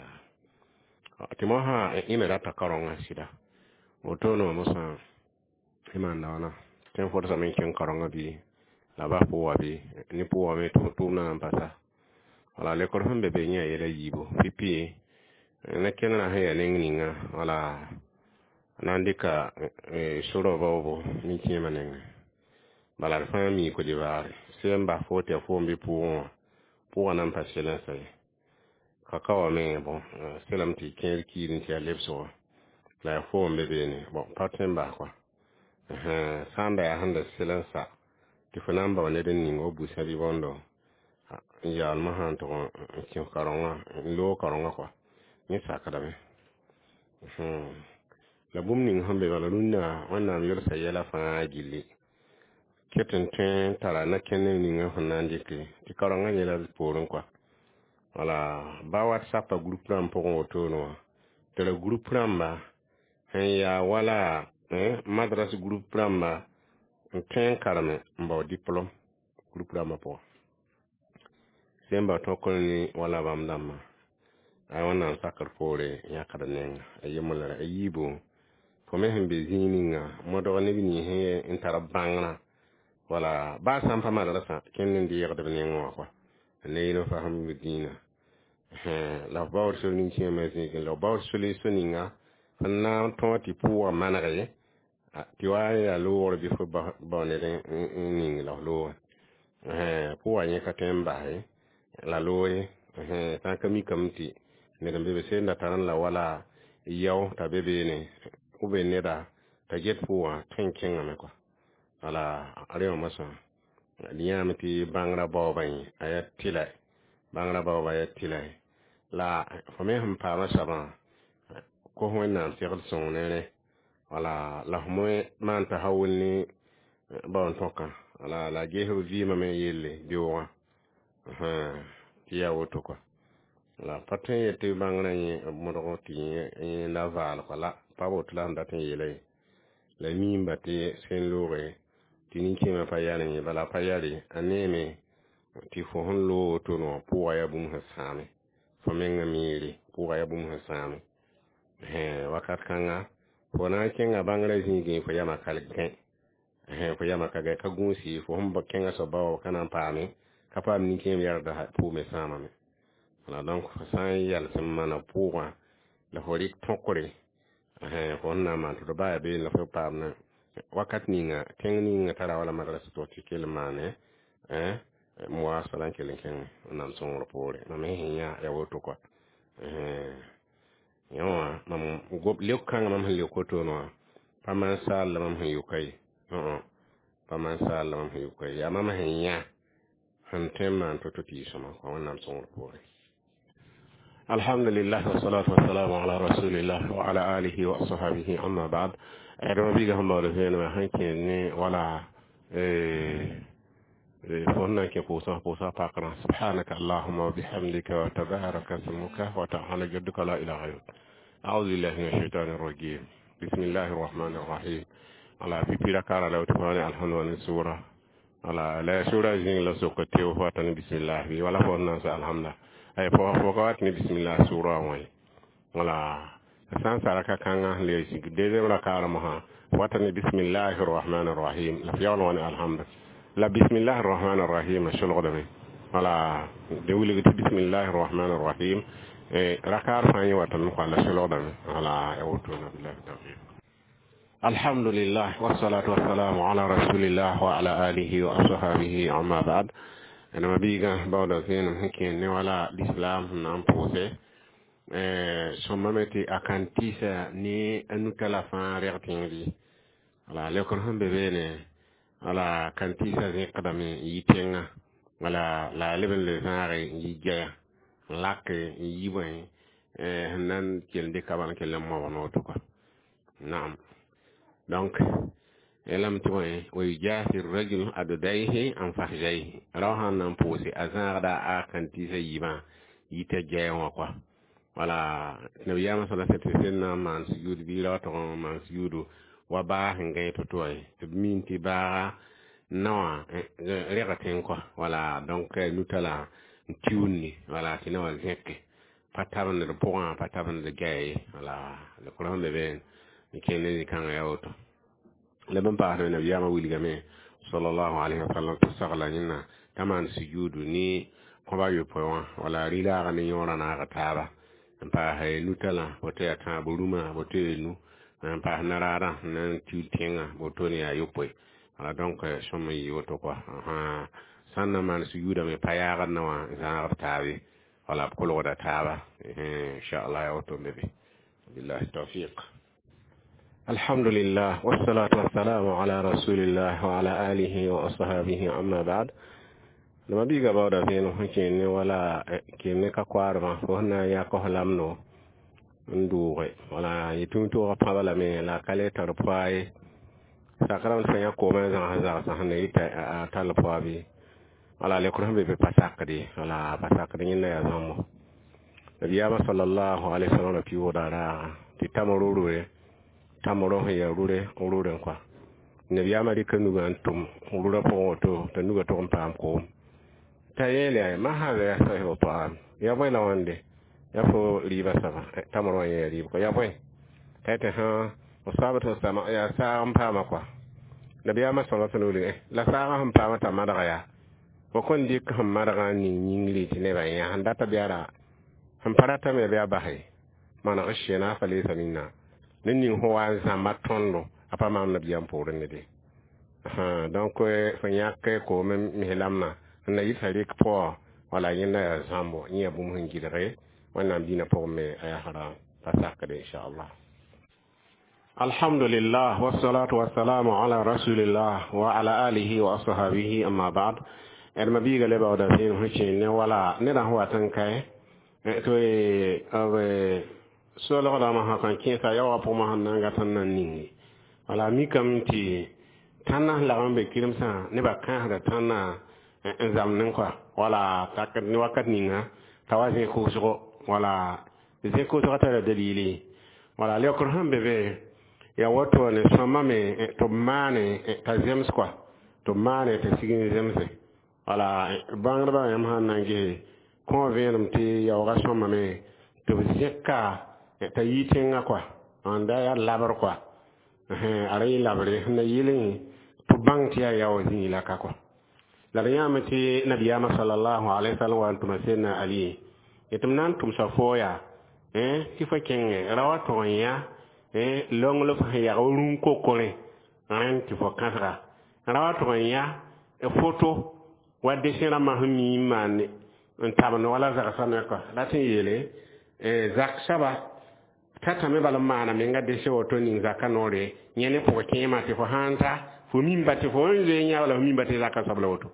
tɩ mosã yẽ me rata kaoongã sɩda wotone wã mosã y maanda wãna tɩ n fʋdsame n kẽng kaoongã bɩ la bas pʋga bɩ ne pʋga me tʋʋmdã na n pasa wala lekor sẽn be be yẽ yaa yɛla yiibu pipi ne kẽndrã sẽn yaa neng ninga wala na n dɩka sorɔ baoobo nin-kẽemã nengẽ bala d fãa mi Côte d'Ivoire sẽn bas fo tɩ yaa foom bɩ pʋʋgẽ wã pʋgã na n pa sel n sa ye ka ka wa me bon selame tɩ kẽer kiir n tɩ yaa lebsgo la yaa foom be beene bon pa tõe n bas kɔa sã n da yaa sẽn da sel n sa tɩ fo na n bao ned n ning wa busã bɩ bõndo n yaool mosã n tʋg n kẽ kaoongã n loog kaoongã kɔa yẽ sakdame. La bũmb ning sẽn be bala rũnnã Wẽnnaam yolsa yɛla fãa gilli ket n tõe n tara na-kẽnd ninga sẽn na n dɩke tɩ kaoongã yɛla poorẽ kɔa wala ba WhatsApp groupe rãmb pʋgẽ wotone wã tɩ ra groupe rãmba sẽn yaa wala madras groupe rãmba n tõe n kareme n bao diplôme groupe rãmbã pʋgã sẽn bao tõk ne wala bãmb dãmbã a Wẽnnaam sakr poore yãkd nenga a yembr a yiibu fo me sẽn be zĩig ninga modg neb nins n tar bãngrã wala baa sã n pa madrasã kẽnd n deegd b nengẽ wã kɔa. Ne yɩl fasem b dĩinã. La f baood sor nin-kẽemã zĩigẽ, la f baood solees ninga sẽn na n tõog tɩ pʋʋgã manege tɩ wa n yaa loogr bɩ fo bao ned n ning la f loogẽ. Pʋʋgã yẽ ka tõe n bas ye, la loog ye. Sã n ka mikame tɩ ned n be be seen da tar n la wala yao t'a be beene ou bien neda t'a get pʋʋgã tõe n kẽngame kɔa. Wala rẽ wã moasã d yãame tɩ bãngrã baoobã yẽ a yaa tɩlɛ, bãngrã baoobã yaa tɩlɛ. La fo me sẽn paama soabã kos Wẽnnaam segl sõng ne rẽ. Wala la f me maan t'a wall ne bao n tõkã. Wala la a ges b vɩɩmã me yelle beoogã tɩ yaa woto kɔa. La pa tõe n yet tɩ bãngrã yẽ modg tɩ yẽ la vaal kɔa la pa woto la sẽn dat n yeela ye. La miimba tɩ sẽn looge tɩ nin-kẽemã pa yar yẽ, bala pa yare a neeme tɩ fo sẽn loog woto wã pʋʋga yaa bũmb sẽn sãame. Fo mengã miire pʋʋga yaa bũmb sẽn sãame. Wakat kãnga fo na n kẽnga bãngrã zĩigẽ fo yamã ka gẽ, fo yamã ka gẽ, ka gũusi fo sẽn kẽngã soab ba ka na n paame, ka paam nin-kẽem yardã pʋʋg me sãamame. Wala donc fo sã n yals n maana pʋʋgã la fo rɩk tõkre fo sẽn na n maan tɩ d baa yaa beene la fo paam wakat ninga tẽng ninga tara wala madrasa tɩ tɩ kell n maane muwasala n kell n kẽngẽ Wẽnnaam sõngr poore. Mam me sẽn yã yaa woto kɔa. Yẽ wã mam leok kãngã mam sẽn leok wotone wã pa maan saal la mam sẽn yʋka ye, pa maan saal la mam sẽn yʋka ye, yaa mam sẽn yã sẽn tõe n maan to-to tɩ yɩ sõma kɔa Wẽnnaam sõngr poore. Alhamdulillah wassalatu wassalamu ala rasulillah wa ala alihi wa ashabihi, amma ba'd. Ãdem biiga sẽn baood vẽenemã sẽn kẽ ne wala fo sẽn na n kẽ pʋʋsã pʋʋsã pakrã. Subhanaka allahumma wa bihamdika wa tabaraka smuka wa ta'ala jadduka la ilaha ghayruk. A'udhu billahi minash shaitani rajim. Bismillahir rahmanir rahim. Ala pipi rakara la tɩ alhamdu sura ala la sura zĩng la sok tɩ fo wata ne bismillah bɩ wala fo na n sa alhamda ay fo fo ka wat ne bismillah sura wã. Wala sã n sa raka kãngã le zĩg deuxième rakaara mosã wata ne bismillahir rahmanir rahim la f yaool wã ne alhamda la bismillahir rahmanir rahim solgdame. Wala de wilg tɩ bismillahir rahmanir rahim rakaar fãa yẽ watame kɔa la solgdame. Wala ya wotona, billahi tawfiq. Alhamdulillah wassalatu wassalamu ala rasulillah wa ala alihi wa ashabihi, amma ba'd. Ẽnema biigã baooda vẽenem sẽn kẽer ne wala l'islam sẽn na n pʋʋse sõmbame tɩ a kan tɩɩsa ne a nutala fãa reg tẽng bɩ. Wala leokr sẽn be beene wala kan tɩɩsa zẽkdame n yi tẽngã, wala la a leb n le zãage n yi gɛya n lak n yi bõe sẽn na n kell n dɩka bala n kell n mobg ne woto kɔa. Naam, donc lame tɩ bõe wa yujafi rajul adudaihi an fahjaihi rao sãn na n pʋʋse a zãagda a kan tɩɩsa yiibã yita gɛɛ wã kɔa. Wala nabiyaamã sala tɩ sẽn na n maan sujuud bɩ ra tʋg n maan sujuudu wa baa sẽn gãe to-to wã tɩ b min tɩ baaga naowã rega tẽng kɔa. Wala donc nutala n tiundi wala tɩ naowã zẽke pa tabend d pʋgã, pa tabend gɛɛ ye. Wala lekr sẽn be beene n kẽnd ne zĩ-kãngã yaa woto. La bẽn paasdme nabiyaamã wilgame sallallahu alaihi wa sallam tɩ sagla yẽnna t'a maan sujuudu ne kõba yopoe wã wala rɩlaagã ne yõorã naag taaba n paas nutalã woto yaa tãab rũmã woto yaa nu n paas naraadã n na n tiul tẽngã woto ne yaa yopoe. Wala donc sõm n yɩ woto kɔa sã n na maan sujuudame pa yaagd na wã zãagd taabe wala b kolgda taaba inchallah yaa woto n be be, billahi tawfiq. Alhamdulillah wassalatu wassalamu ala rasulillah wa ala alihi wa ashabihi, amma ba'd. Nama biiga baooda vẽenem sẽn kẽer ne wala kẽer ne ka koaadmã fo sẽn na n yã kos lamdo n dʋʋge wala yetɩ toogã pãba lame la a ka le tar poa ye sakrame tɩ fa yã koomã n zãgs zagsã sẽn na yita a tall poa bɩ wala lekr sẽn be be pa sakd ye wala pa sakd yẽnda yaa zãmbo. Nabiyaamã sallallahu alaihi wasallam ra pɩʋʋda raaga tɩ tamro rure tamro sẽn yaa rure rure n kɔa. Nabiyaamã rɩka nugã n tʋm rurã pʋgẽ woto t'a nugã tʋg n paam koom t'a yeele ma hada ya sahibu ta'am ya bõe la wãnde ya fo rɩɩbã soaba tamr wã yẽ rɩɩb kɔ ya bõe t'a tɩ sã sabat sama yaa saag n paama kɔa. Nabiyaamã sala sallam wilg la saagã sẽn paama t'a madga yaa Fo kõn dɩk sẽn madgã n ning yĩngri tɩ nebã yã sẽn data bɩ a ra sẽn pa ratame bɩ a base maneg sẽna fa leesa minna ned ning sẽn wa n zãmba tõndo a pa maam nabiyaam poorẽ ne de. Donc fo yãk koom mislamã n na yɩta rek pʋgã wala yẽnda yaa zãmbo yẽ yaa bũmb sẽn gɩlge Wẽnnaam dĩinã pʋgẽ me a yaa haram pa sakde, inchallah. Alhamdulillah, wassalatu wassalamu ala rasulillah wa ala alihi wa ashabihi, amma ba'd. D ma biiga le baooda zẽem sẽn kẽ ne wala nedã sẽn wat n kae tɩ b solgdãmã sã kõ kẽesa yaoogã pʋgmã sẽn na n gat n na n ninge wala mikame tɩ tãnna sẽn lagm n be kiremsã nebã kãasda tãnna n zãmdẽ kɔa wala tak ne wakat ninga t'a wa zẽ koosgo wala zẽ koosgã tara dalili wala leokr sẽn be be ya woto ne sõma me tɩ b maane t'a zems kɔa tɩ b maane t'a sig n zemse wala bãngdbã yãmb sãn na n ges kõ vẽenem tɩ yaoogã sõmame tɩ b zẽka t'a yi tẽngã kɔa n da yaa labr kɔa a ra yɩ labre sẽn na yɩlẽ tɩ bãng tɩ yaa yaoog zĩig la ka kɔa la d yãame tɩ nabiyaamã salallahu alaihi wasallam wa n tʋma Sẽdna Ali tɩ m na n tʋmsa fo yaa tɩ fo kẽngẽ ra wa tog n yã longl f sẽn yag rũn-kokorẽ rẽnd tɩ fo kãsga ra wa tog n yã foto wa desẽ rãmbã sẽn mi n maan n tabend wala zagsã me kɔa rat n yeele zak soaba tatame bal n maana menga desẽ woto ning zaka noore yẽ ne pʋg kẽema tɩ fo sãn ta fo mimba tɩ fo n zoe yã wala fo mimba tɩ zaka soab la woto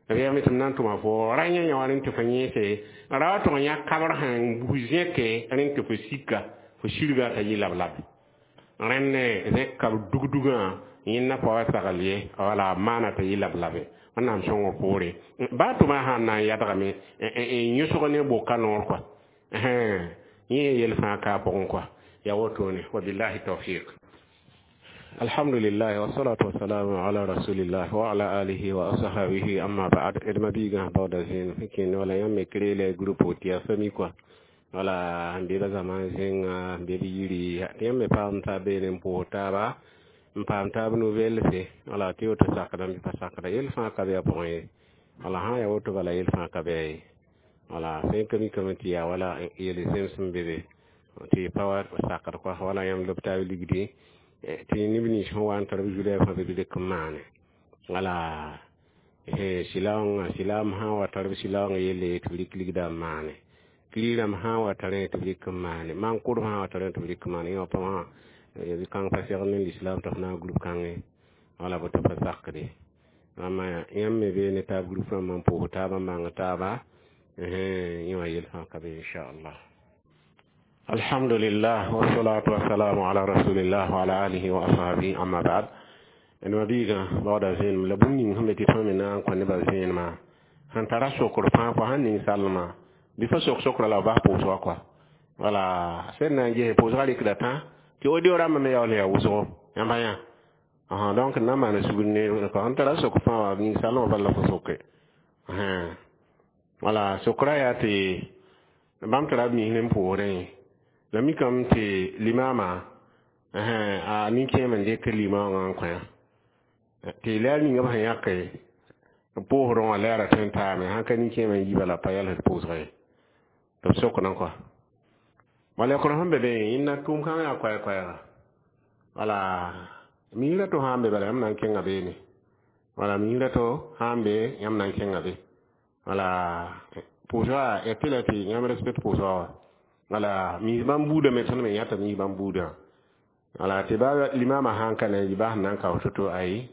b yɛlme tɩ m na n tʋma fo ra yã yã wa rẽnd tɩ fo yẽese ra wa tʋg n yã kabr sẽn bus zẽke rẽnd tɩ fo sika fo sirga t'a yɩ lab-lab rẽnd zẽk kab dugdugã yẽnda pa wa sagl ye wala maana t'a yɩ lab-labe Wẽnnaam sõngr poore baa tʋma sãn na n yadgame n yõsg ne boka noor kɔa yẽ yel fãa ka a pʋgẽ kɔa yaa wotone. Wabillahi tawfiq. Alhamdulillah, wassalatu wassalamu ala rasulillah wa ala alihi wa ashabihi, amma ba'd. D ma biigã baooda zẽem sẽn kẽnd wala yãmb me kreela groupe tɩ yaa famille kɔa wala n be ba zãma zẽnga n be b yiri tɩ yãmb me paam taab beene n pʋʋs taaba n paam taab nouvelle wala tɩ woto sakdame pa sakda yel fãa ka be a pʋgẽ ye wala sã n yaa woto bala yel fãa ka be a ye wala sẽn ka mikame tɩ yaa wala yel zems n be be tɩ pa wa sakd kɔa wala yãmb lob taab ligdi tɩ neb nins sẽn wa n tar b zulɛɛb fãa be b dɩk n maane wala silaoongã silaam sã n wa tar b silaoongã yelle tɩ b rɩk ligda n maane kiri rãmb sã n wa tarẽ tɩ b rɩk n maane maan-kʋdb sã n wa tarẽ tɩ b rɩk n maane yẽ wã pãmã kãng pa segl ne lislaam tɩ f na n group kãngẽ wala boto pa sakde rãmba yãmb me bee ne taab group rãmbã n pʋʋs taabã n bãng taaba yẽ wã yel fãa ka be, inchallah. Alhamdulillah, wassalatu wassalamu ala rasulillah wa ala alihi wa ashabihi, amma ba'd. D ma biigã baooda zẽenem la bũmb ning sẽn be tɩ tõe me na n kõ nebã zẽenemã sẽn tara sokr fãa fo sãn ning salmã bɩ fo sok sokra la b bas pʋʋsgã kɔa wala sẽd na n ges pʋʋsgã rɩkda tã tɩ audio rãmbã me yaool yaa wʋsgo yãmba yã. Donc na n maana sugr ne sẽn tara sok fãa wa ning salmã bala fo soke wala sokra yaa tɩ bãmb tara b misr n pʋʋsrẽ la mikame tɩ limama a nin-kẽem n dɩk limãongã n kõ tɩ la ninga b sẽn yãke pʋʋsdẽ wã la yaa ra tõe n taame sãn ka nin-kẽemã n yi bala pa yɛls pʋʋsga ye tɩ b sokdẽ kɔa wala yakr sẽn be be yẽnda tʋʋm kãngã yaa koɛɛ-koɛɛga wala miisrã to sã n be bala yãmb na n kẽnga beene wala miisrã to sã n be yãmb na n kẽnga be wala pʋʋsga ya tɩ la tɩ yãmb respect pʋʋsga wa wala miis bãmb buudã me tõnd me yãta miis bãmb buudã wala tɩ ba limama sãn ka na n yɩ ba sẽn na n kao to-to ayi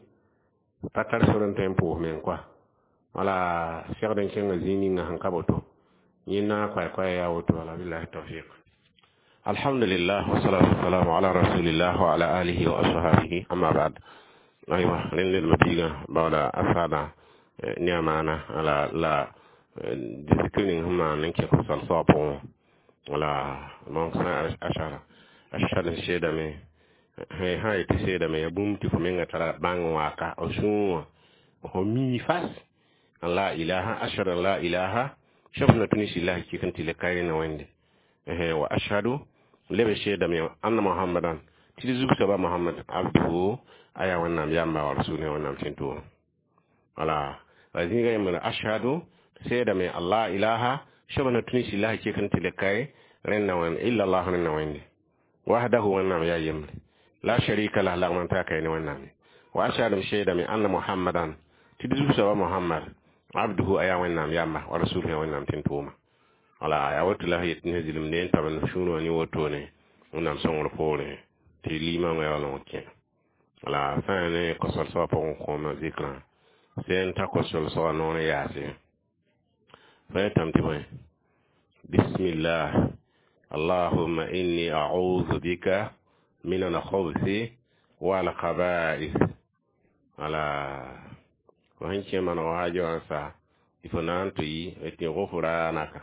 pa tar sor n tõe n pʋʋs meng kɔa wala segd n kẽnga zĩig ninga sẽn ka boto yẽnda koɛɛ-koɛɛ yaa woto wala billahi tawfiq. Alhamdulillah, wassalatu wassalamu ala rasulillah wa ala alihi wa ashabihi, amma ba'd. Aywa rẽnd d ma biigã baooda a saada ne a maana ala la zikr ning sẽn maan n kẽ sal-soabã pʋgẽ wala donc sã ashara ashhadu n seedame sã yetɩ seedame ya bũmb tɩ fo menga tara bãng n waka f sũur wã fo mii fas an la ilaha ashhadu an la ilaha shab na tuni silahi kik n tɩ le kaɩ na Wẽnde wa ashhadu leb seedame anna Muhammadan tɩ d zug soaba Muhammad abduhu aya Wẽnnaam yamba wa rasuluhu Wẽnnaam tẽn-tʋʋm wala Wa zĩiga yembr ashhadu seedame allah ilaha soaba na tũni sɩlaha kek n tɩ le kae rẽnna wẽnd illa allah rẽnna wẽnde wahdahu wẽnnaam yaa yembre la sharika lah lagm n taa kae ne wẽnnaam wa ashhadu m seedame anna muhammadan tɩ d zu-soaba muhammad abduhu a yaa wẽnnaam yamba wa rasuluhu yaa wẽnnaam tẽn tʋʋma wala yaa woto la f yet ne zɩlem ne n tab n sũur wã ne wotone wẽnnaam sõngr poorẽ tɩ liimãngã yaa wala kẽ wala sã ne kosol soabã pʋgẽ kõoma zɩkrã sẽn ta kosol soabã noor n yaase fa yetame tɩ bõe bismillah allahumma inni a'udhu bika min al-khubuthi wal khaba'ith wala fo sẽn kẽ maneg waaja wã sa tɩ fo na n tɩ yi tɩ gufranaka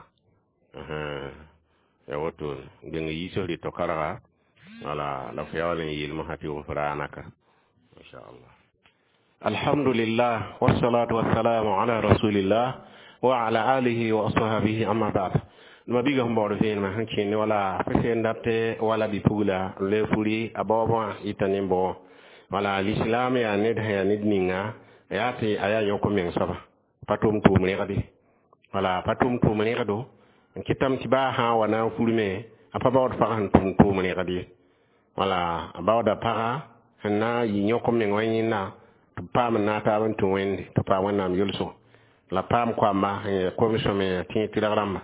ya woto geng yiisg rɩ to-karga wala la fo yaool n yeel mosã tɩ gufranaka inshallah. Alhamdulillah wassalatu wassalamu ala rasulillah wa ala alihi wa ashabihi, amma ba'd. Ma biga sẽn baood vẽenemã sẽn kẽnd wala fo sẽn dat wala bi-pugla n loe furi a baoobã yita nin-bao wala l'islam yaa ned sẽn yaa ned ninga yaa tɩ a yaa yõk meng soaba pa tʋm tʋʋm rẽgde wala pa tʋm tʋʋm rẽgdo n kɩtame tɩ baa sã n wa na n furme a pa baood pag sẽn tʋm tʋʋm rẽgd ye wala a baooda paga sẽn na n yɩ yõk meng wã yẽnda tɩ b paam n naag taab n tũ wẽnde tɩ paam wẽnnaam yʋlsgo la paam koamba sẽn yaa kom-sõme tẽeg tɩrg rãmba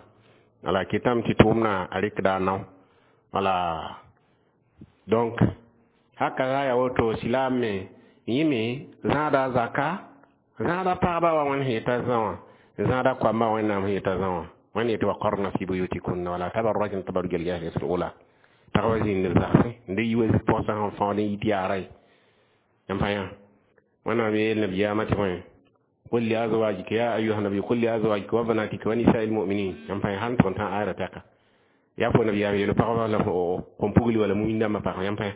wala kɩtame tɩ tʋʋmdã a rɩkda a nao wala donc haka yaa woto silaam me yĩme zãada zaka zãada pagba wa wẽnd sẽn yeta zã wã zãada koamba wẽnnaam sẽn yeta zã wã wẽnd yetɩ wa qarna fi buyutikunna wala tabarrajna tabarruj al-jahiliyyati al-ula pagba zĩnd b zagsẽ n de yi wa pɔgsã sẽn fãood n yit yaara ye yãmb fã yã wẽnnaam yeel nabiyaamã tɩ bõe قل لأزواجك يا أيها النبي قل لأزواجك وبناتك ونساء المؤمنين yãmb fã sãn tʋg n tã ayra tɛka yaa fo nabiyaam yeel pagba la kõn pugli wala muĩndãmbã pag yãmb fã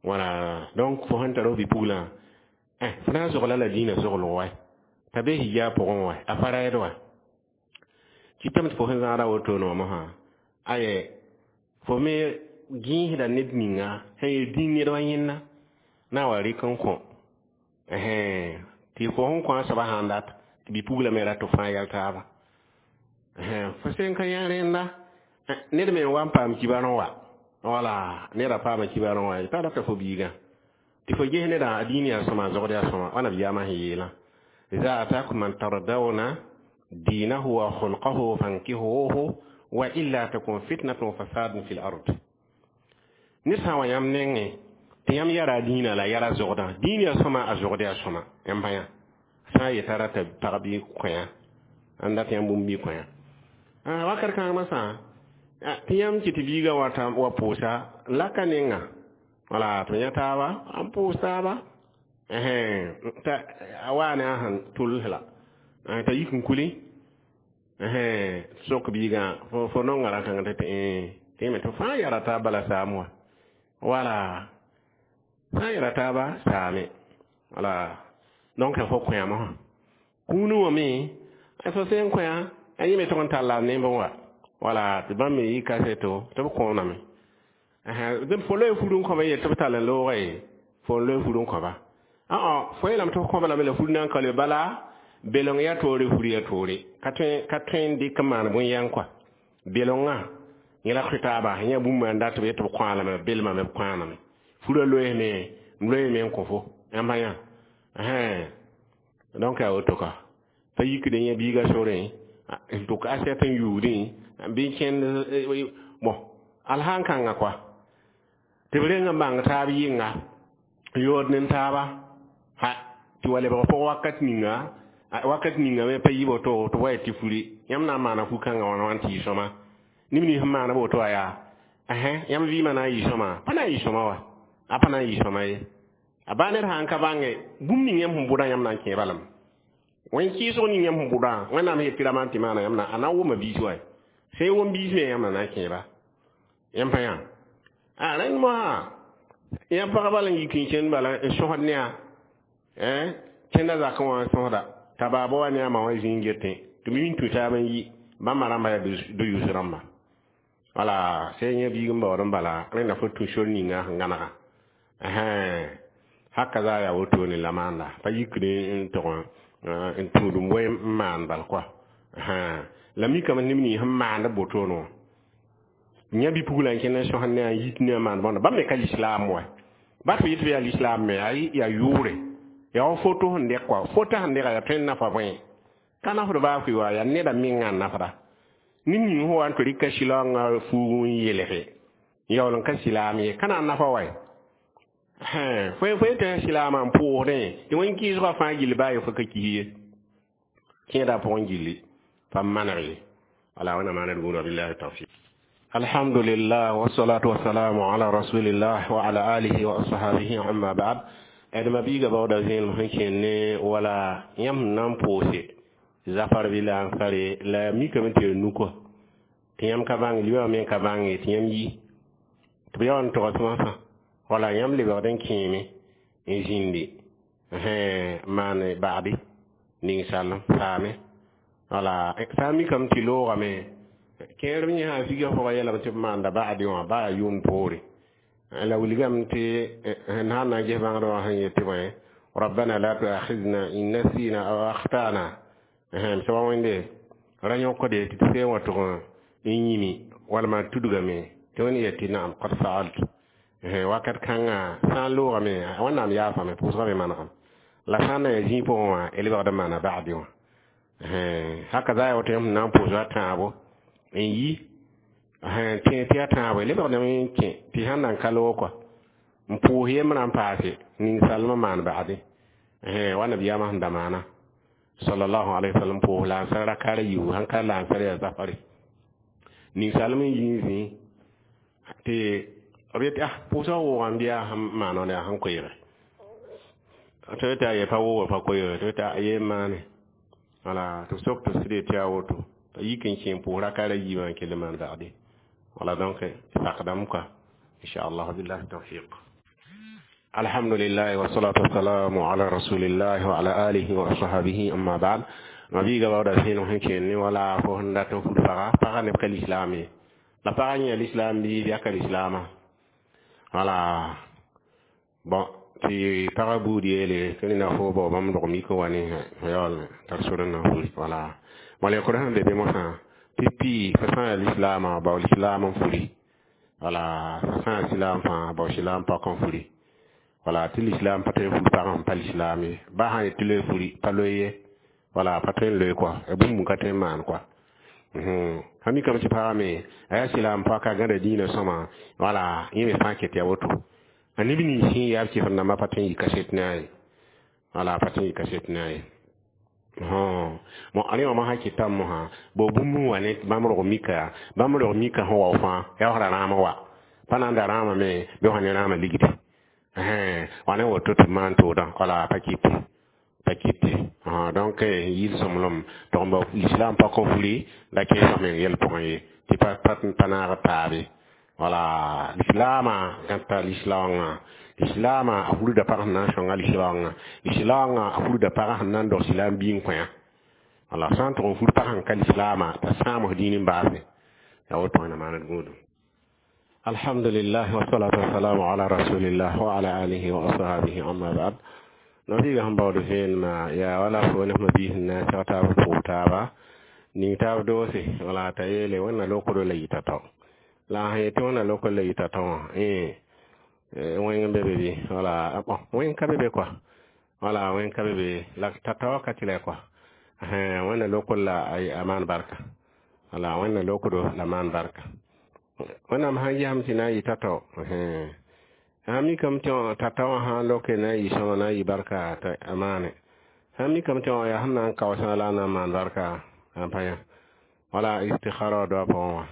wala donc fo sẽn tar f bi-puglã fo na n zogla la dĩinã zoglg wa t'a be hijab pʋgẽ wa a pa raɛd wa kɩtame tɩ fo sẽn zãada wotone wã mosã aye fo me gẽesda ned ninga sẽn yel dĩin ned wa yẽnna na wa rɩk n kõ tɩ fo sẽn kõ a soaba sãn dat tɩ bi-puglã me rat fãa yɛl taaba fo sẽn ka yã rẽnda ned me n wa n paam kibarẽ wa wala neda paama kibarẽ wa t'a rata fo biigã tɩ fo ges nedã a dĩin yaa sõma a zogd yaa sõma wa nabiyaamã sẽn yeelã iza atakum man tardawna dinahu wa khulqahu fankihuhu wa illa takun fitnatun fasadun fil ard ned sã n wa yãmb nengẽ tɩ yãmb yara a dĩinã la yara zogdã dĩin yaa sõma a zogd yaa sõma yãmb pa yã sã n yeta rata pag bɩ kõ-yã n dat yãmb bũmb bɩ kõ-yã wakat kãngmã sã tɩ yãmb kɩ tɩ biigã wa pʋʋsa laka nenga wala tɩ yã taaba n pʋʋs taaba t'a a waa ne a sẽn tʋls la t'a yik n kuli sok biigã fo nonga rã-kãng tɩ tɩ tɩ fãa yara taab bala saam wa wala sã n yara taaba saame wala donc fo kõ-yã mosã kũuni wã me fo sẽn kõ-yã a yẽ me tʋg n talla nemb wa wala tɩ bãmb me yɩ kaseto tɩ b kõoname fo loe fur n kõba yel tɩ b tall n looga ye fo n loe fur n kõba fo yeelame tɩ f kõba lame la fur na n ka le bala belong yaa toore fur yaa toore ka tõe n dɩk n maan bõn-yɛng kɔa belongã yẽ la taaba yã bũmb n dat b yet tɩ b kõ lame b belmame b kõaname furã loeesme m loeeme n kõ fo yãmb yã donc yaa woto ka pa yikd yẽ biiga sorẽ n tʋk asɛt n yuudẽ bɩ kẽnd bon al sãn kãnga kɔa tɩ b reng n bãng taab yɩnga n yood ne taaba ha tɩ wa lebg pʋg wakat ninga me pa yɩ woto tɩ wa tɩ furi yãmb na n maana fu-kãngã wãna wã n tɩ yɩ sõma neb nins sẽn maana woto wa yaa yãmb vɩɩmã na n yɩ sõma pa na n yɩ sõma wa a pa na n yɩ sõma ye a baa ned sã n ka bãnge bũmb ning yãmb sẽn bʋdã yãmb na n kẽeba lame wẽn kɩɩsg ning yãmb sẽn bʋdã wẽnnaam sẽn yet tɩ rama tɩ maana yãmb na a na n wʋma biis wa sẽn wʋm biis me yãmb na na n kẽeba yãmb pa yã a rẽnd mosã yã pagba la n yik n kẽnd bala n sõsd ne a kẽnda zakẽ wã n sõsda t'a baaba wa ne a ma wã zĩig getẽ tɩ b yĩn tũ taab n yi bãmba rãmba yaa do-yʋs rãmba wala sẽn yã biig n baood n bala rẽnda fo tũ sor ninga sẽn gãnega haka za yaa wotone la maanda pa yikd n tʋg N tũudum wɛ n maan bal kɔa la mikame neb nins sẽn maand wotone wã yã bi-pugla n kẽnd n sõsd ne a n yit ne a maan bõnda bãmb me ka lislaam wa ba tɩ yet tɩ yaa lislaam me yaa yʋʋre yaa wa foto sẽn dɛk kɔa fota sẽn dɛga yaa tõe n nafa bõe ka nafd baa fʋɩ wa yaa neda mengã n nafda ned ning sẽn wa n tɩ rɩka sɩlaoongã fuug n yelge n yaool n ka silaam ye ka na n nafa wa fo tɩ silaamã n pʋʋsdẽ tɩ wẽn-kɩɩsgã fãa gill baa ye fo ka kis ye kẽeda pʋgẽ gilli pa maneg ye wala wẽnnaam maaned gũudã billahi tawfiq. Alhamdulillah, wassalatu wassalamu ala rasulillah wa ala alihi wa ashabihi, amma ba'd. Adma biiga baooda zẽelem sẽn kẽen ne wala yãmb sẽn na n pʋʋse zafar bɩ la n fare la mikame tɩ ya nukɔ tɩ yãmb ka bãng liba me ka bãnge tɩ yãmb yi tɩ b ya wa n togs masã wala yãmb lebgd n kẽeme n zĩndi maan bagdi ninsalem saame wala sã n mikame tɩ loogame kẽerb yẽ sã figa pʋgã yeelame tɩ b maanda bagdi wã baa yʋʋm poore la wilgame tɩ sẽn sã n na n ges bãngd wã sẽn yet tɩ bõe rabbana la tuakhidna in nasina aw akhtana soaba wẽnde ra yõkde tɩ tɩ seen wa tʋg n yĩmi walma tudgame tɩ wẽnd yet tɩ naam qad faaltu wakat kãngã sã n loogame wẽnnaam yaafame pʋʋsgã me manegem la sã n na yaa zĩig pʋgẽ wã y lebgd n maana bagdi wã haka za ya woto yãmb sẽn na n pʋʋs a tãabo n yi tẽ tɩ a tãabo lebgdame n kẽ tɩ sãn na n ka loog kɔa n pʋʋs yembrã n paase ninsalmã maan bagdi wa nabiyaamã sẽn da maana sallallahu alaihi wasallam pʋʋs la-ansar rakara yiibu sãn ka la-ansar yaa zafare ninsalem n yi n zĩ tɩ b yetɩ ah pʋʋsgã wʋʋgã n bɩ yaa sẽn maan wãna yaa sẽn koeege tɩ tɩ a ye pa wʋʋga pa koeege tɩ tɩ a yee maane wala tɩ b sok tɩ sɩd tɩ yaa woto t'a yik n kẽ n pʋʋs rakara yiibã n kell n maan bagde wala donc sakdame quoi inchallah billahi tawfiq. Alhamdulillah, wassalatu wassalamu ala rasulillah wa ala alihi wa ashabihi, amma ba'd. Mabiiga baooda sẽen sẽn kẽen ne wala fo sẽn dat n fud paga paga neb ka lislaam ye la paga yẽ lislaam bii yaa ka lislaamã wala bon tɩ pagã buud yeele tɩ neda fo bao bãmb dog mik n wa ne yaool tar sor n na n furi wala malɛkr sẽn be be mosã tɩ pii fa sã n yaa lislaamã bao lislaam n furi wala fa sã n yaa silaam fãa bao silaam pak n furi wala tɩ lislaam pa tõe n fur pagã n pa lislaam ye ba sã n yet tɩ loe furi pa loe ye wala pa tõe n loe kɔa bũmb ka tõe n maan kɔa sã mikame tɩ pagã me a yaa silaam paka gãda dĩinã sõma wala yẽ me fãa ket yaa woto a neb nins sẽn yaa b kɩsem dãmbã pa tõe n yɩ kaset ne a ye wala pa tõe n yɩ kaset ne a ye mo rẽ wã mosã kɩtame mosã bo bũmb n wa ne bãmb rog mika bãmb rog mika sẽn wao fãa yaa sra rãam wa pa na n da rãamame bɩ sã ne rãamã ligdi wa ne woto tɩ b maan toodã wala pa kɩte pa kɩte donc yɩl sõmblem tɩ ba lislaam pak n furi la kẽesã meng yɛl pʋgẽ ye tɩ pa naag taabe wala lislaamã gãta lislaoongã lislaamã a furda pag sẽn na n sõnga lislaoongã lislaoongã a furda pagã sẽn na n dog silaam biig n kõ wala sã n tʋg n fur pag sẽn ka lislaamã t'a sãams dĩin n baase yaa woto wẽnnaam maaned gũudum. Alhamdulillah, wassalatu wassalamu ala rasulillah wa ala alihi wa ashabihi, amma ba'd. Nabiiga sẽn baood vẽenemã yaa wala fo ne sẽn biis n na n seg taab pʋʋs taaba ning taab doose wala t'a yeele wẽnna lokdo la yita tao la sẽn yetɩ wẽnna lokd la yita tao wã wẽng n be be bɩ wala bon wẽng ka be be kɔa wala wẽng ka be be la t'a tao ka tɩ la kɔa wẽnna lokd la a maan barka wala wẽnna lokdo la maan barka wẽnnaam sãn gesame tɩ na n yɩ tao sã mikame tɩ t'a tao wã sã n loke na n yɩ sõma na n yɩ barka t'a a maane sã mikame tɩ wã yaa sẽn na n kaoosã la a na n maan barka n pa yã wala istikhara wa doa pʋgẽ wã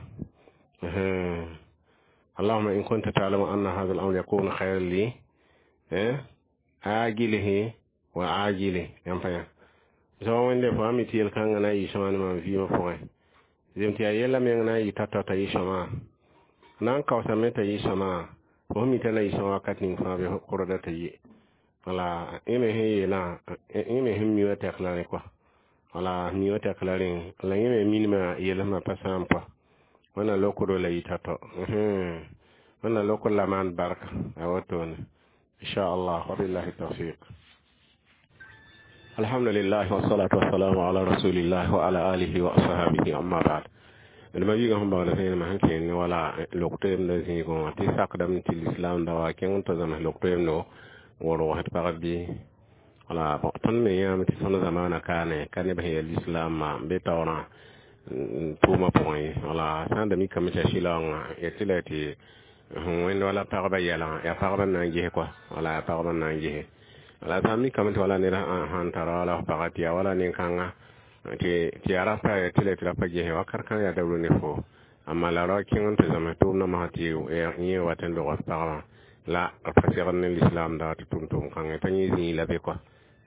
اللهم إن كنت تعلم أن هذا الأمر يكون خيرا لي آجله وعاجله yãmb pa yã soaba wẽnde fo sã mi tɩ yel-kãngã na n yɩ sõma ne mam vɩɩmã pʋgẽ zem tɩ yaa yɛla meng na n yɩ tao t'a yɩ sõma na n kaoosame t'a yɩ sõma fo sẽn mi t'a na yɩ sõma wakat ning fãa bɩ kʋrda t'a yɩ wala yẽ me sẽn yeelã yẽ me sẽn mi wã tɛk la rẽ kɔa wala mi wã tɛk la rẽ la yẽ me minimã yelsmã pa sãam kɔa wẽnna lokdo la yɩ tao wẽnna lokd la maan barka a wotone inchallah wabillahi tawfiq. Alhamdulillah wassalatu wassalamu ala rasulillah wa ala alihi wa ashabihi, amma ba'd. D ma wiiga sẽn baood vẽenemã sẽn kẽen ne wala lok-toeemdã zĩigẽ wã tɩ sakdame tɩ lislam da wa kẽng n tɩ zãms lok-toeemdo n rogsd pagb bɩ. Wala bon, tõnd me yãame tɩ tõnd zamaana kaane ka neb sẽn yaa lislaamã n be taoorã tʋʋmã pʋgẽ ye. Wala sã n da mikame tɩ yaa sɩlaoongã yetɩ la tɩ sẽn wẽnd wala pagba yɛlgã yaa pagba n na n ges kɔa. Wala yaa pagba n na n gese. Wala sã n mikame tɩ wala ned sãn tara wala f paga tɩ yaa wala nin-kãnga tɩ yaa rapa tɩ la tɩ rapa gese wakat kãng yaa dabr ne fo. Amma la ra kẽng n tɩ zãms tʋʋmdã masã tɩ yẽ wat n log f pagbã la b pa segd ne lislaam da tɩ tʋm tʋʋm kãngẽ t'a yẽ zĩig la be kɔa.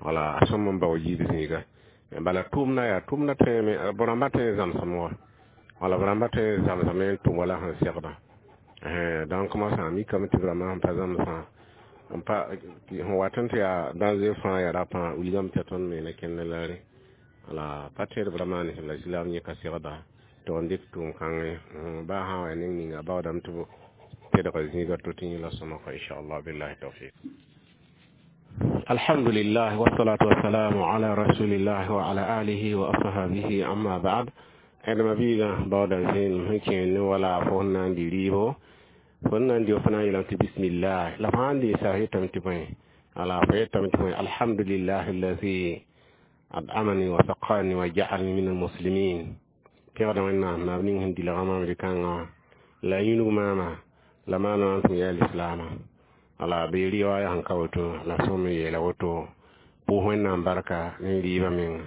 Wala a sõm n bao yiib zĩiga. Bala tʋʋmda yaa tʋʋmda tõeme b rãmba tõe n zãmsame wa. Wala b rãmba tõe n zãmsame n tʋm wala sẽn segda. Donc mosã mikame tɩ b rãmbã sẽn pa zãmsã n pa sẽn wat n tɩ yaa danger fãa yaa rapã wilgame tɩ tõnd me na kẽnd la re. Wala pa tẽed b rãmbã ne la islam yẽ ka segda tɩ n dɩk tʋʋm kãngẽ baa sã n wa neng ninga baoodame tɩ b tedga zĩiga to tɩ yẽ la sõma kɔ, inchallah. Billahi tawfiq. Alhamdulillah wassalatu wassalamu ala rasulillah wa ala alihi wa ashabihi, amma ba'd. D ma biigã baooda zẽenem sẽn kẽer ne wala fo sẽn na n dɩ rɩɩbo, fo n na n dɩ fo na n yeelame tɩ bismillah. La fo sãn dɩ sa yetame tɩ bõe? Wala fo yetame tɩ bõe? Alhamdulillah allazi at'amani wa saqani wa ja'alni min almuslimin. Pẽgda Wẽnnaam naab ning sẽn dilgã maam rɩ-kãngã wã la yĩnug maama la maana n tʋm yaa lislaamã. Wala bɩ riwaaya sẽn ka woto la sõm n yeela woto pʋʋs Wẽnnaam barka ne rɩɩbã menga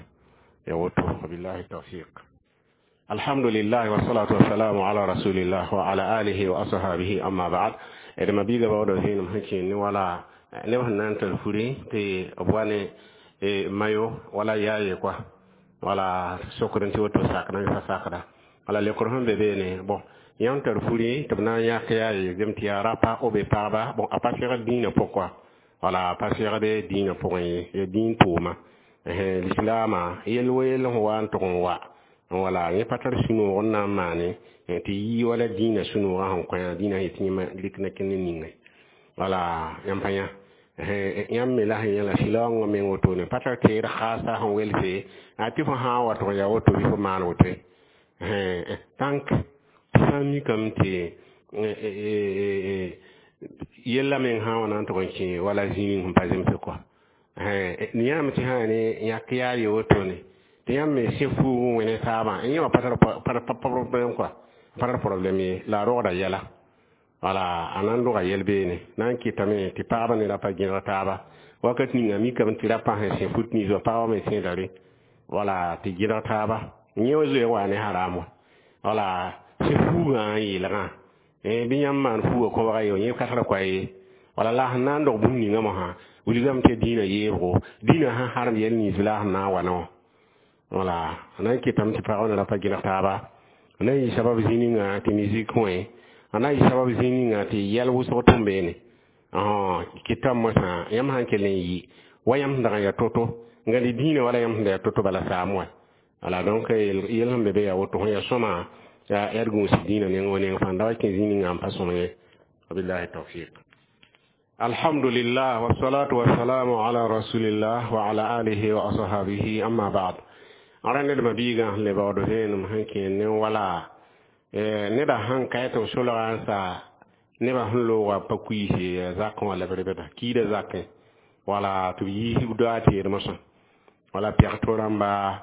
ya woto. Wabillahi tawfiq. Alhamdulillah wassalatu wassalamu ala rasulillah wa ala alihi wa ashabihi, amma ba'd. D ma biiga baooda vẽenem sẽn kẽer ne wala neb sẽn na n tar furi tɩ b wa ne mayo wala yaa ye kɔa. Wala sokd n tɩ woto sakda pa sakda. Wala lekr sẽn be beene, bon, yãmb tar furi tɩ b na n yãk yaa ye gem tɩ yaa rapa b pagba. Bon, a pa segd dĩinã pʋg kɔa. Wala a pa segd dĩinã pʋgẽ ye, ya dĩin tʋʋma lislaamã yel wa yell sẽn wa n tʋg n wa. Wala yẽ pa tar sũ-noog n na n maane tɩ yɩ wala dĩinã sũ-noogã sẽn kõ yã dĩinã yetɩ yẽma rɩk na kẽnd ningẽ. Wala yãmb pa yã yãmb me la sẽn yãla sɩlaoongã meng wotone pa tar teed khaasa sẽn welse a tɩ fo sã n wa tʋg yaa woto bɩ fo maan woto. Tãnk tɩ sã n mikame tɩ yella meng sã n wa na n tʋg n kẽ wala zĩig ning sẽn pa zemse kɔa yãame tɩ sã ne yãk yaa ye wotone tɩ yãmb me sẽ fuug n wẽ ne taabã yẽ wã pa tar problème kɔa, pa tar problème ye. La a rogda yɛla. Wala a na n roga yɛl beene na n kɩtame tɩ pagba ne rapa gẽdg taaba wakat ninga mikame tɩ rapã sẽn sẽ fut nins wã pagba me sẽeda re. Wala tɩ gẽdg taaba yẽ wa zoe wa ne haram wã. Wala sẽ fuugã n yeelgã bɩ yãmb maan fuugã kõbga ye yẽ ka tar koa ye. Wala la sẽn na n dog bũmb ninga mosã wilgame tɩ dĩinã yeebgo dĩinã sẽn harem yɛl nins la sẽn na n wa ne wã. Wala a na n kɩtame tɩ pagba ne rapa gẽdg taaba a na n yɩ sabab zĩ ninga tɩ musique wẽ a na n yɩ sabab zĩ ninga tɩ yɛl wʋsg tʋm beene kɩtame mosã yãmb sãn kell n yɩ wa yãmb sẽn dag n yaa to-to n gãd dĩinã wala yãmb sẽn da yaa to-to bala saam wa. Wala donc yel sẽn be be yaa woto sẽn yaa sõma yaa d gũus dĩinã neng wa neng fãa da wa kẽ zĩ ninga n pa sõm ye. Wabillahi tawfiq. Alhamdulillah wassalatu wassalamu ala rasulillah wa ala alihi wa ashabihi, amma ba'd. Ara ned ma biigã sẽn le baood vẽenem sẽn kẽer ne wala neda sãn ka tɩ b solga n sa nebã sẽn looga pa kuiise zakẽ wã la b rebda kiida zakẽ. Wala tɩ b yiis doa teed mosã wala pɛg to rãmba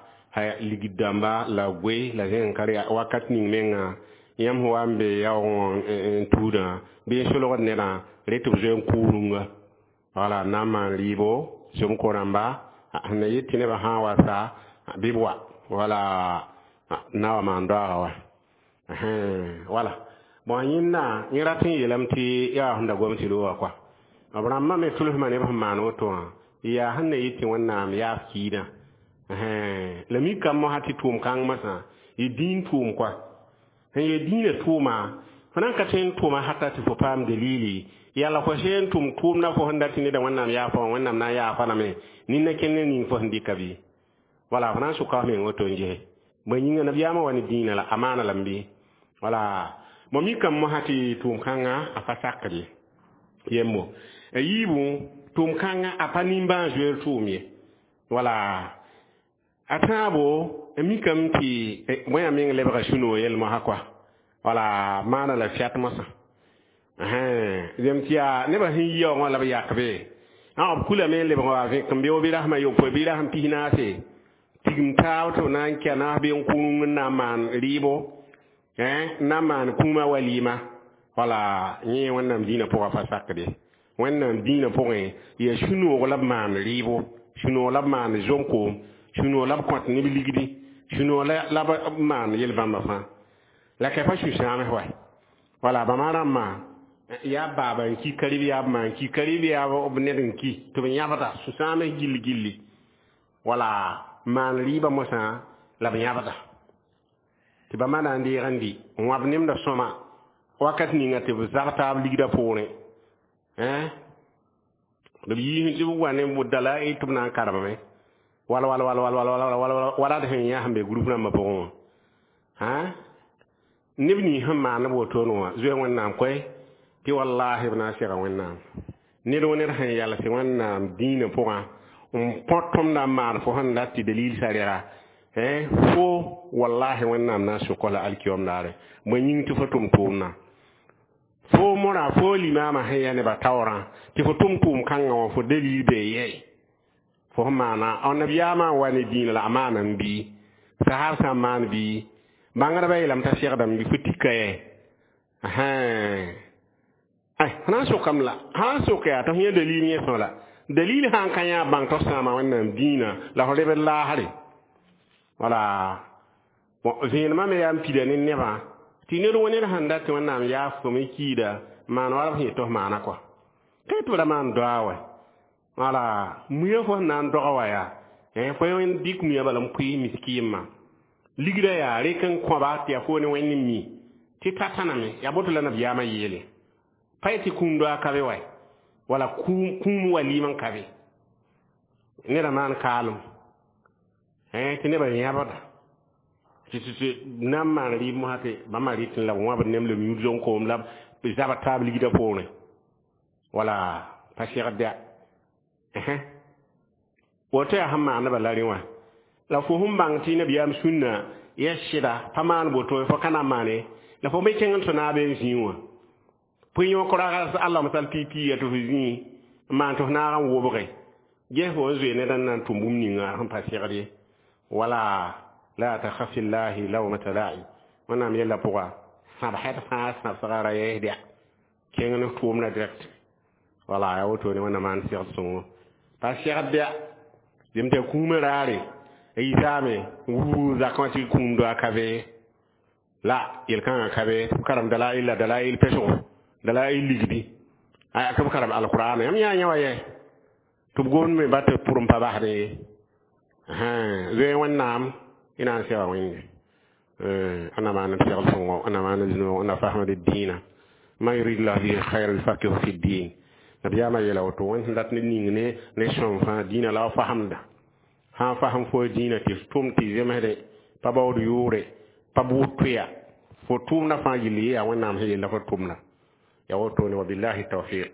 ligd dãmba la goe la zẽn ka wakat ning menga yãmb sẽn wa n be yaoog n tuudã bɩ n solgd nedã re tɩ b zoe n kʋʋ rũnga. Wala n na n maan rɩɩbo zom-ko rãmba sẽn na yet tɩ nebã sã n wa sa bɩ b wa wala na wa maan doaaga wa. Wala bon, yẽnda yẽ rat n yeelame tɩ yaa sẽn da gom tɩ looga kɔa b rãmbã me tʋlsmã neb sẽn maan woto wã yaa sẽn na yet tɩ Wẽnnaam yaaf kiidã. La mikame mosã tɩ tʋʋm kãng mosã yɩ dĩin tʋʋm kɔa sẽn yee dĩinã tʋʋma fo na n ka tõe n tʋʋma hata tɩ fo paam dalili yalla fo sẽn tʋm tʋʋmdã fo sẽn dat tɩ neda Wẽnnaam yaafa wã Wẽnnaam na n yaafa lame nin-na kẽnd ne ning fo sẽn dɩka bɩ. Wala fo na n sʋka f meng woto n ges bõe yĩnga nabiyaamã wa ne dĩinã la a maana lame bɩ. Wala mo mikame mosã tɩ tʋʋm kãngã a pa sakd ye yembo a yiibu tʋʋm kãngã a pa nimbãan-zoeer tʋʋm ye. Wala a tãabo mikame tɩ bõe meng lebga sũ-noog yel mosã kɔa wala maana la fiat mosã zem tɩ yaa nebã sẽn yi yaoogã la b yakbe b kulame n lebg wa vẽk n beoog bɩ rasem a yopoe bɩ rasem pis-naase tigim taab tɩ b na n kɛ naas bɩ n kũung n na n maan rɩɩbo n na n maan kũumã walɩɩma wala yẽ Wẽnnaam dĩinã pʋgã pa sakde Wẽnnaam dĩinã pʋgẽ yaa sũ-noog la b maan rɩɩbo sũ-noog la b maan zom-koom sũ-noog la b kõt neb ligdi sũ-noog la b maan yel-bãmba fãa la ka pa sũ-sãams wa wala bãmba rãmbã yaa baaba n ki karib yaa b ma n ki karib yaa b ned n ki tɩ b yãbda sũ-sãams gilli gilli wala maan rɩɩbã mosã la b yãbda tɩ bãmba na n deeg n dɩ n wãb nemda sõma wakat ninga tɩ b zag taab ligdã poorẽ b yiisẽ tɩ b wa ne dalail tɩ b na n karemame wala wala wala wala wala wala wala d sẽn yã sẽn be group rãmbã pʋgẽ wã neb nins sẽn maan b wotone wã zoe Wẽnnaam koe tɩ wallahi b na n sega Wẽnnaam ned wã ned sẽn yals Wẽnnaam dĩinã pʋgã n põt tõmda n maan fo sẽn dat tɩ dalil sarega fo wallahi Wẽnnaam na n sʋk la alkiyom daare bõe yĩng tɩ fo tʋm tʋʋmdã fo mõra fo limaamã sẽn ya nebã taoorã tɩ fo tʋm tʋʋm kãngã wã fo dalil bee yɛɛ fo sẽn maana nabiyaamã n wa ne dĩinã la a maana n bii sahab sã n maan bii bãngdbã yeelame t'a segdame bɩ fo tika yɛ ay na n sokame la sã n sok yaa tɩ f yẽ dalil yẽ sõ la dalil sã n ka yã bãng tɩ f sãama Wẽnnaam dĩinã la fo lebd laasre wala bon vẽenemã me yaa n pida ne nebã tɩ ned wã ned sẽn dat tɩ Wẽnnaam yaaf fo me kiida maan wala b sẽn yet tɩ f maana kɔa ka tɩ b ra maan doa wɛ wala muya fo sẽn na n doga wa yaa fo dɩk muya bala n pʋɩ miskiimã ligda yaa rek n kõba tɩ yaa fo ne Wẽnd n mi tɩ ta tãname yaa boto la nabiyaamã yeele pa yetɩ kũum doa ka be wa wala kũum walɩɩm n ka be neda maan kaalem tɩ nebã yãbda tɩ na n maan rɩɩb mosã tɩ bãmba rɩtẽ la b wãbd nem la b yũud zom-koom la b zabd taab ligdã poorẽ wala pa segd ya woto yaa sẽn maandbã la rẽ wã la fo sẽn bãng tɩ nabiyaam sũnna ya sɩda pa maan boto fo ka na n maane la fo me kẽng n tɩ naabe n zĩig wã pʋɩ-yõk rag Allah masal pipi ya tɩ fo zĩig n maan tɩ f naag n wobge ges fo n zoe ned n na n tʋm bũmb ninga sẽn pa segd ye wala la takhaf fillahi lawmata la'i Wẽnnaam yella pʋga sãbsd fãa sãbsga ra yɛɛsdya kẽng ne tʋʋmda direct wala yaa wotone Wẽnnaam maan segd sõngo pa segd ya zem tɩ kũumã raare a yisaame wuu zakã wã tɩ kũum doa ka be la yel-kãngã ka be tɩ b karem dalail la dalail pesgo dalail ligdi aya tɩ b karem alqur'ana yãmb yã yã wa yɛ tɩ b gomd me ba tɩ pʋr n pa basd ye zoe Wẽnnaam y na n sega Wẽnde ana maan segl sõngo ana maan zũnoog ana fasmd dĩinã man yurid llah bihi khayran yufaqihu fi ddin nabiyaamã yeela woto Wẽnd sẽn dat ne ning ne sõm fãa dĩinã la f fasemda sã n fasem fo dĩinã tɩ f tʋm tɩ zemsde pa baood yʋʋre pa bʋʋd tʋya fo tʋʋmdã fãa gilli yaa Wẽnnaam sẽn yella fo tʋmda ya wotone wabillahi tawfiq.